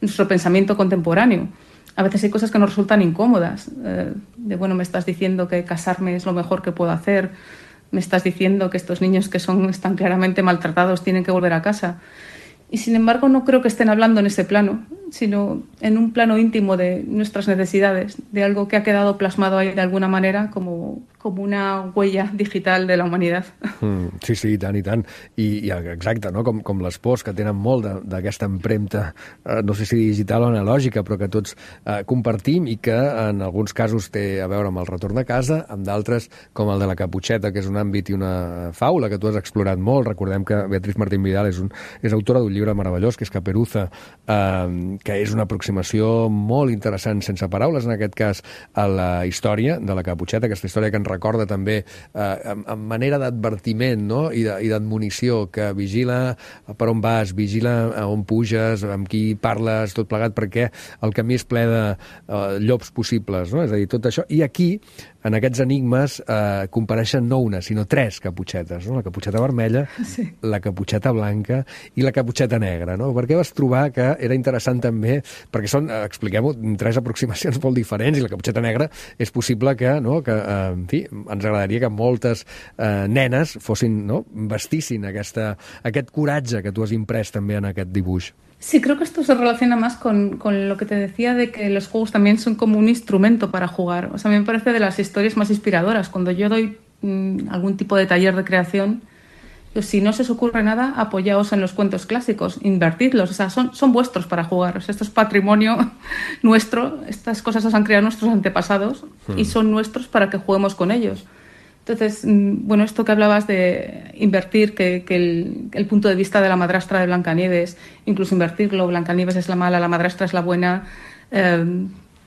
nuestro pensamiento contemporáneo. A veces hay cosas que nos resultan incómodas. Eh, de, bueno, me estás diciendo que casarme es lo mejor que puedo hacer, me estás diciendo que estos niños que son, están claramente maltratados tienen que volver a casa. Y sin embargo no creo que estén hablando en ese plano, sino en un plano íntimo de nuestras necesidades, de algo que ha quedado plasmado ahí de alguna manera como, com una huella digital de la humanitat. Mm, sí, sí, i tant, i tant. I, i exacte, no? com, com les pors que tenen molt d'aquesta empremta, eh, no sé si digital o analògica, però que tots eh, compartim i que en alguns casos té a veure amb el retorn a casa, amb d'altres, com el de la Caputxeta, que és un àmbit i una faula que tu has explorat molt. Recordem que Beatriz Martín Vidal és, un, és autora d'un llibre meravellós, que és Caperuza, eh, que és una aproximació molt interessant, sense paraules, en aquest cas, a la història de la Caputxeta, aquesta història que ens recorda també eh, amb, amb manera d'advertiment, no? I d'admonició, que vigila per on vas, vigila a on puges, amb qui parles, tot plegat, perquè el camí és ple de eh, llops possibles, no? És a dir, tot això. I aquí, en aquests enigmes, eh, compareixen no una, sinó tres caputxetes, no? La caputxeta vermella, sí, la caputxeta blanca i la caputxeta negra, no? Perquè vas trobar que era interessant també, perquè són, expliquem-ho, tres aproximacions molt diferents, i la caputxeta negra és possible que, no, que eh, en fi, ens agradaria que moltes eh, nenes fossin, no, vestissin aquesta, aquest coratge que tu has imprès també en aquest dibuix. Sí, creo que esto se relaciona más con, con lo que te decía de que los juegos también son como un instrumento para jugar. O sea, a mí me parece de las historias más inspiradoras. Cuando yo doy mmm, algún tipo de taller de creación, pues si no se os ocurre nada, apoyaos en los cuentos clásicos, invertidlos, o sea, son, son vuestros para jugar. O sea, esto es patrimonio nuestro, estas cosas las han creado nuestros antepasados hmm. y son nuestros para que juguemos con ellos. Entonces, bueno, esto que hablabas de invertir, que, que el, el punto de vista de la madrastra de Blancanieves, incluso invertirlo, Blancanieves es la mala, la madrastra es la buena, eh,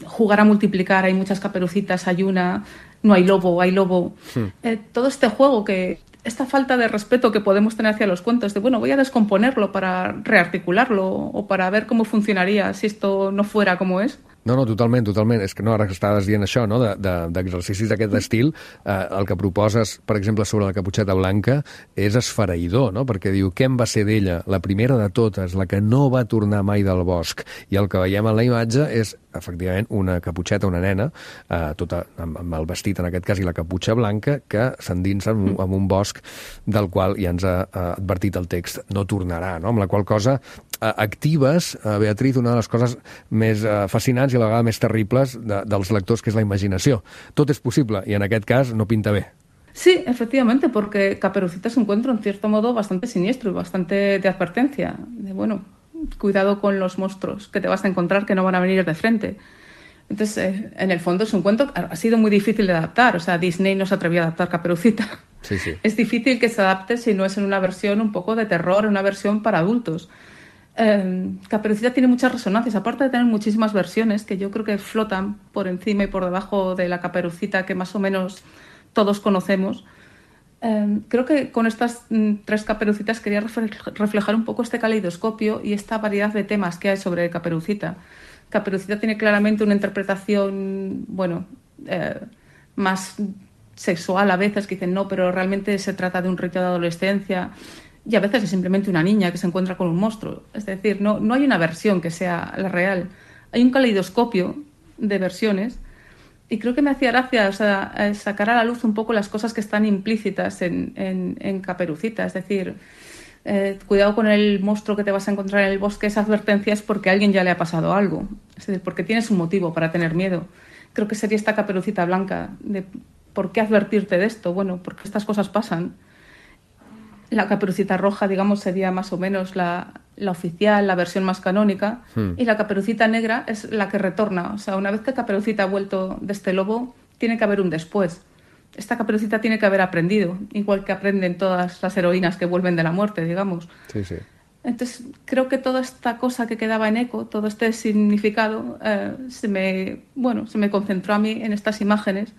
jugar a multiplicar, hay muchas caperucitas, hay una, no hay lobo, hay lobo. Sí. Eh, todo este juego, que esta falta de respeto que podemos tener hacia los cuentos, de, bueno, voy a descomponerlo para rearticularlo o para ver cómo funcionaría si esto no fuera como es. No, no, totalment, totalment. És que no, ara que estaves dient això, no?, d'exercicis de, de, d'aquest estil, eh, el que proposes, per exemple, sobre la caputxeta blanca, és esfereïdor, no?, perquè diu, què en va ser d'ella? La primera de totes, la que no va tornar mai del bosc. I el que veiem en la imatge és efectivament, una caputxeta, una nena, eh, tota amb, amb el vestit, en aquest cas, i la caputxa blanca, que s'endinsa en, en un bosc del qual ja ens ha eh, advertit el text, no tornarà, no? Amb la qual cosa eh, actives, eh, Beatriz, una de les coses més eh, fascinants i a la vegada més terribles de, dels lectors, que és la imaginació. Tot és possible, i en aquest cas no pinta bé. Sí, efectivamente, porque Caperucita es un cuento, en cierto modo, bastante siniestro y bastante de advertencia. De, bueno, cuidado con los monstruos que te vas a encontrar, que no van a venir de frente. Entonces, eh, en el fondo es un cuento que ha sido muy difícil de adaptar. O sea, Disney no se atrevió a adaptar Caperucita. Sí, sí. Es difícil que se adapte si no es en una versión un poco de terror, en una versión para adultos. Eh, Caperucita tiene muchas resonancias, aparte de tener muchísimas versiones que yo creo que flotan por encima y por debajo de la Caperucita que más o menos todos conocemos. Eh, creo que con estas mm, tres Caperucitas quería reflejar un poco este caleidoscopio y esta variedad de temas que hay sobre Caperucita. Caperucita tiene claramente una interpretación, bueno, eh, más sexual a veces, que dicen no, pero realmente se trata de un rito de adolescencia, y a veces es simplemente una niña que se encuentra con un monstruo. Es decir, no, no hay una versión que sea la real. Hay un caleidoscopio de versiones. Y creo que me hacía gracia, o sea, sacar a la luz un poco las cosas que están implícitas en, en, en Caperucita. Es decir, eh, cuidado con el monstruo que te vas a encontrar en el bosque, esa advertencia es porque a alguien ya le ha pasado algo. Es decir, porque tienes un motivo para tener miedo. Creo que sería esta Caperucita blanca. De, ¿por qué advertirte de esto? Bueno, porque estas cosas pasan. La Caperucita roja, digamos, sería más o menos la, la oficial, la versión más canónica, hmm. y la Caperucita negra es la que retorna. O sea, una vez que Caperucita ha vuelto de este lobo, tiene que haber un después. Esta Caperucita tiene que haber aprendido, igual que aprenden todas las heroínas que vuelven de la muerte, digamos. Sí, sí. Entonces, creo que toda esta cosa que quedaba en eco, todo este significado, eh, se me, bueno, se me concentró a mí en estas imágenes,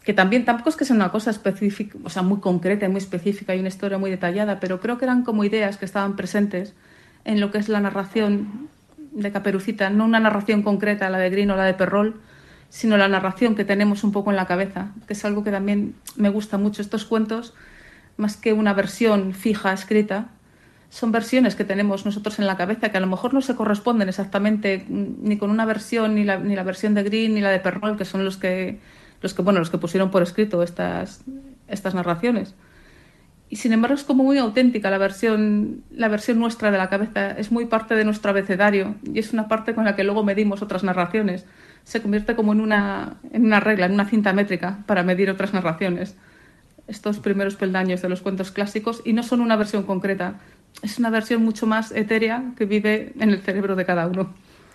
que también tampoco es que sea una cosa específica, o sea, muy concreta y muy específica y una historia muy detallada, pero creo que eran como ideas que estaban presentes en lo que es la narración de Caperucita, no una narración concreta, la de Green o la de Perrol, sino la narración que tenemos un poco en la cabeza, que es algo que también me gusta mucho. Estos cuentos, más que una versión fija escrita, son versiones que tenemos nosotros en la cabeza que a lo mejor no se corresponden exactamente ni con una versión, ni la, ni la versión de Green ni la de Perrol, que son los que los que bueno los que pusieron por escrito estas estas narraciones, y sin embargo es como muy auténtica la versión la versión nuestra de la cabeza, es muy parte de nuestro abecedario y es una parte con la que luego medimos otras narraciones, se convierte como en una en una regla, en una cinta métrica para medir otras narraciones, estos primeros peldaños de los cuentos clásicos, y no son una versión concreta, es una versión mucho más etérea que vive en el cerebro de cada uno.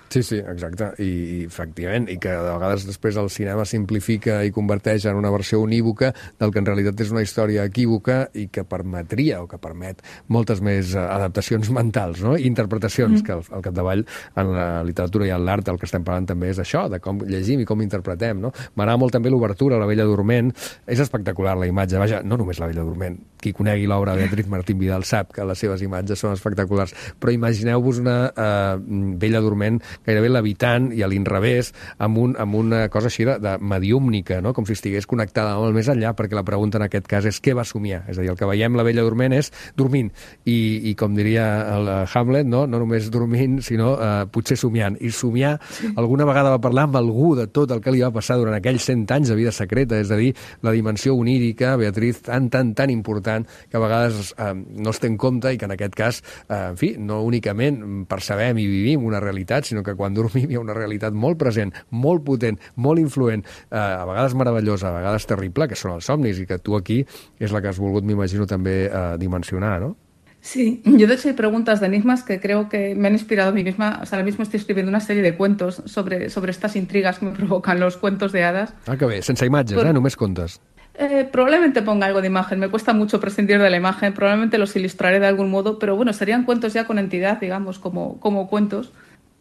Sí, sí, exacte, I, i efectivament, i que de vegades després el cinema simplifica i converteix en una versió unívoca del que en realitat és una història equívoca i que permetria o que permet moltes més adaptacions mentals, no? I interpretacions, mm. que al, al capdavall en la literatura i en l'art el que estem parlant també és això, de com llegim i com interpretem, no? M'agrada molt també l'obertura, La Bella Dorment, és espectacular la imatge, vaja, no només La Bella Dorment, qui conegui l'obra de Beatriz Martín Vidal sap que les seves imatges són espectaculars, però imagineu-vos una eh, Bella Dorment gairebé levitant i a l'inrevés, amb, un, amb una cosa així de, de mediúmnica, no? Com si estigués connectada amb el més enllà, perquè la pregunta en aquest cas és què va somiar. És a dir, el que veiem la Bella dorment és dormint. I, i com diria el Hamlet, no, no només dormint, sinó eh, potser somiant. I somiar, sí. Alguna vegada va parlar amb algú de tot el que li va passar durant aquells cent anys de vida secreta, és a dir, la dimensió onírica, Beatriz, tan, tan, tan important, que a vegades eh, no es té en compte i que en aquest cas, eh, en fi, no únicament percebem i vivim una realitat, sinó que quan dormim hi ha una realitat molt present, molt potent, molt influent, eh, a vegades meravellosa, a vegades terrible, que són els somnis, i que tu aquí és la que has volgut, m'imagino, també eh, dimensionar, ¿no? Sí, yo de hecho hay preguntas de enigmas que creo que me han inspirado a mí misma. O sea, ahora mismo estoy escribiendo una serie de cuentos sobre, sobre estas intrigas que me provocan los cuentos de hadas. Ah, que bé, sense imatges, Por... eh? Només contes. Eh, probablemente ponga algo de imagen, me cuesta mucho prescindir de la imagen, probablemente los ilustraré de algún modo, pero bueno, serían cuentos ya con entidad, digamos, como, como cuentos.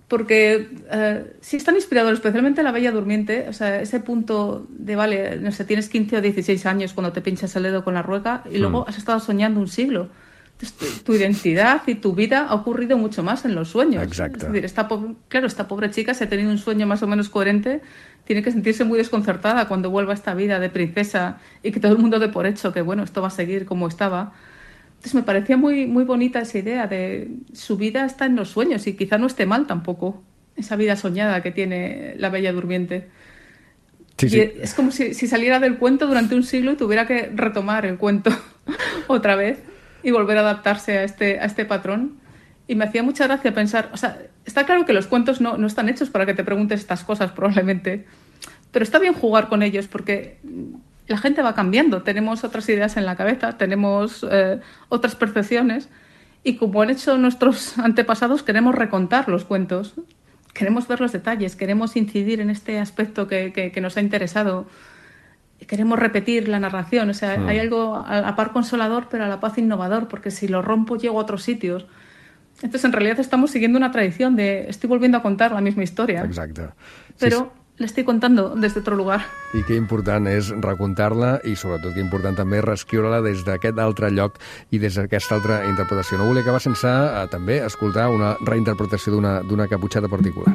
Porque eh, sí están inspiradores, especialmente La Bella Durmiente, o sea, ese punto de, vale, no sé, tienes quince o dieciséis años cuando te pinchas el dedo con la rueca y luego mm. has estado soñando un siglo. Entonces, tu, tu identidad y tu vida ha ocurrido mucho más en los sueños. Exacto. Es decir, esta po- claro, esta pobre chica, si ha tenido un sueño más o menos coherente, tiene que sentirse muy desconcertada cuando vuelva a esta vida de princesa y que todo el mundo dé por hecho que, bueno, esto va a seguir como estaba. Entonces me parecía muy, muy bonita esa idea de su vida está en los sueños y quizá no esté mal tampoco. esa vida soñada que tiene la Bella Durmiente. Sí, y sí. es como si, si saliera del cuento durante un siglo y tuviera que retomar el cuento otra vez y volver a adaptarse a este, a este patrón. Y me hacía mucha gracia pensar, o sea, está claro que los cuentos no, no están hechos para que te preguntes estas cosas probablemente, pero está bien jugar con ellos porque la gente va cambiando, tenemos otras ideas en la cabeza, tenemos eh, otras percepciones y como han hecho nuestros antepasados queremos recontar los cuentos. Queremos ver los detalles, queremos incidir en este aspecto que, que, que nos ha interesado, queremos repetir la narración. O sea, mm. hay algo a la par consolador, pero a la paz innovador, porque si lo rompo llego a otros sitios. Entonces, en realidad estamos siguiendo una tradición de estoy volviendo a contar la misma historia. Exacte. Però Sí, l'estic contant des d'altre lugar. i que important és recontar-la i sobretot que important també reescriure-la des d'aquest altre lloc i des d'aquesta altra interpretació. No volia acabar sense eh, també escoltar una reinterpretació d'una d'una caputxeta particular.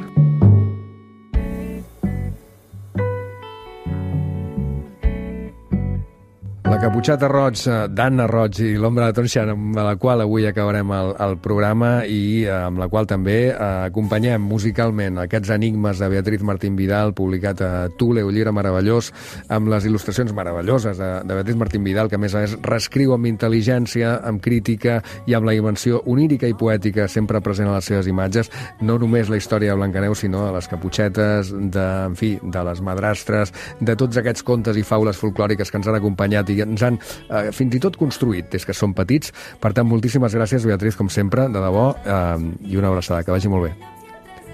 La Caputxeta Roig d'Anna Roig i l'Ombra de Toncian, amb la qual avui acabarem el, el programa i eh, amb la qual també eh, acompanyem musicalment aquests enigmes de Beatriz Martín Vidal, publicat a Tule, un llibre meravellós, amb les il·lustracions meravelloses de, de Beatriz Martín Vidal, que a més a més reescriu amb intel·ligència, amb crítica i amb la dimensió onírica i poètica sempre present a les seves imatges, no només la història de Blancaneu, sinó de les caputxetes, de, en fi, de les madrastres, de tots aquests contes i faules folclòriques que ens han acompanyat i ens han eh, fins i tot construït des que som petits. Per tant, moltíssimes gràcies, Beatriz, com sempre, de debò, eh, i una abraçada. Que vagi molt bé.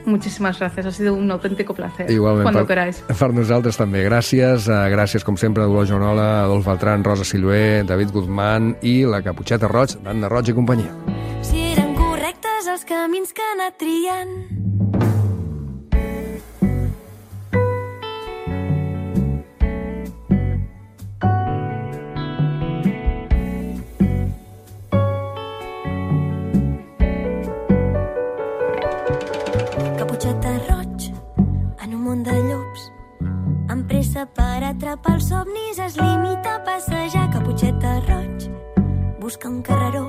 Muchísimas gracias, ha sido un auténtico placer. Igualment, Cuando per, queráis. per nosaltres també. Gràcies, eh, gràcies com sempre a Dolors Joanola, Adolf Beltrán, Rosa Silué, David Guzmán i la Caputxeta Roig d'Anna Roig i companyia. Si eren correctes els camins que ha anat triant. Caputxeta Roig, en un món de llops, amb pressa per atrapar els somnis, es limita a passejar. Caputxeta Roig, busca un carreró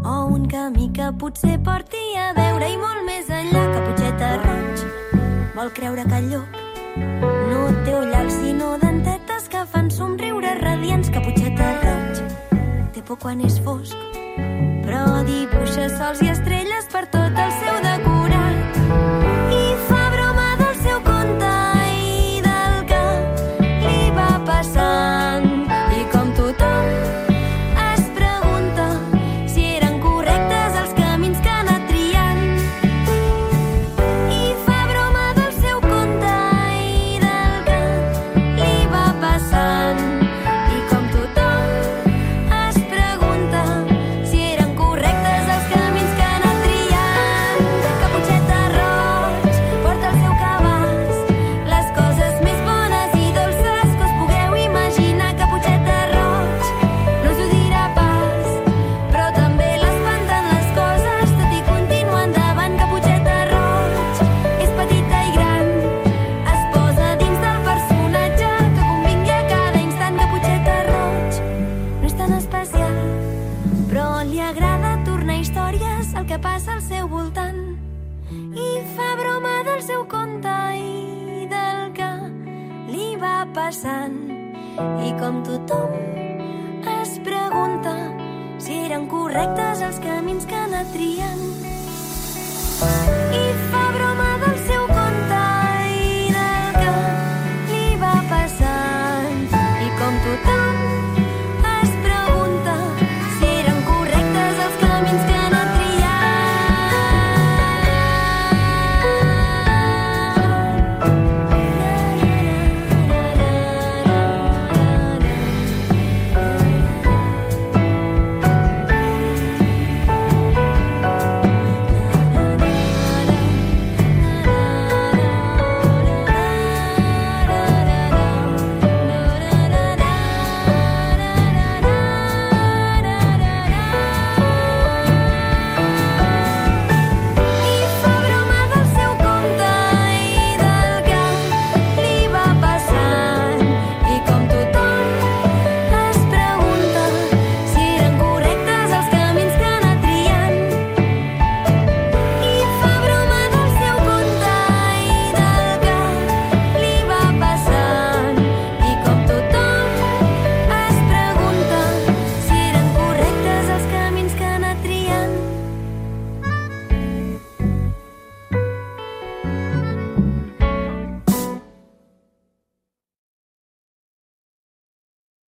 o un camí que potser porti a veure i molt més enllà. Caputxeta Roig, vol creure que el llop no té ullals sinó dentetes que fan somriure radiants. Caputxeta Roig, té por quan és fosc, però dibuixa sols i estrelles per tot el seu decorat. I fa broma del seu conte i del que li va passant. I com tothom es pregunta si eren correctes els camins que ha anat triant. I fa broma del seu conte i del que li va passant. I com tothom es pregunta si eren correctes els camins que ha anat triant. Caputxeta Roig porta el seu cabàs les coses més bones i dolces que us pugueu imaginar. Caputxeta Roig no us ho dirà pas, però també l'espanten les coses, tot i continua endavant. Caputxeta Roig és petita i gran, es posa dins del personatge que convingui a cada instant. Caputxeta Roig no és tan especial, però li agrada tornar històries al que passa al seu voltant. I fa broma del seu conte i del que li va passant. I com tothom es pregunta si eren correctes els camins que ha anat triant. I fa broma del seu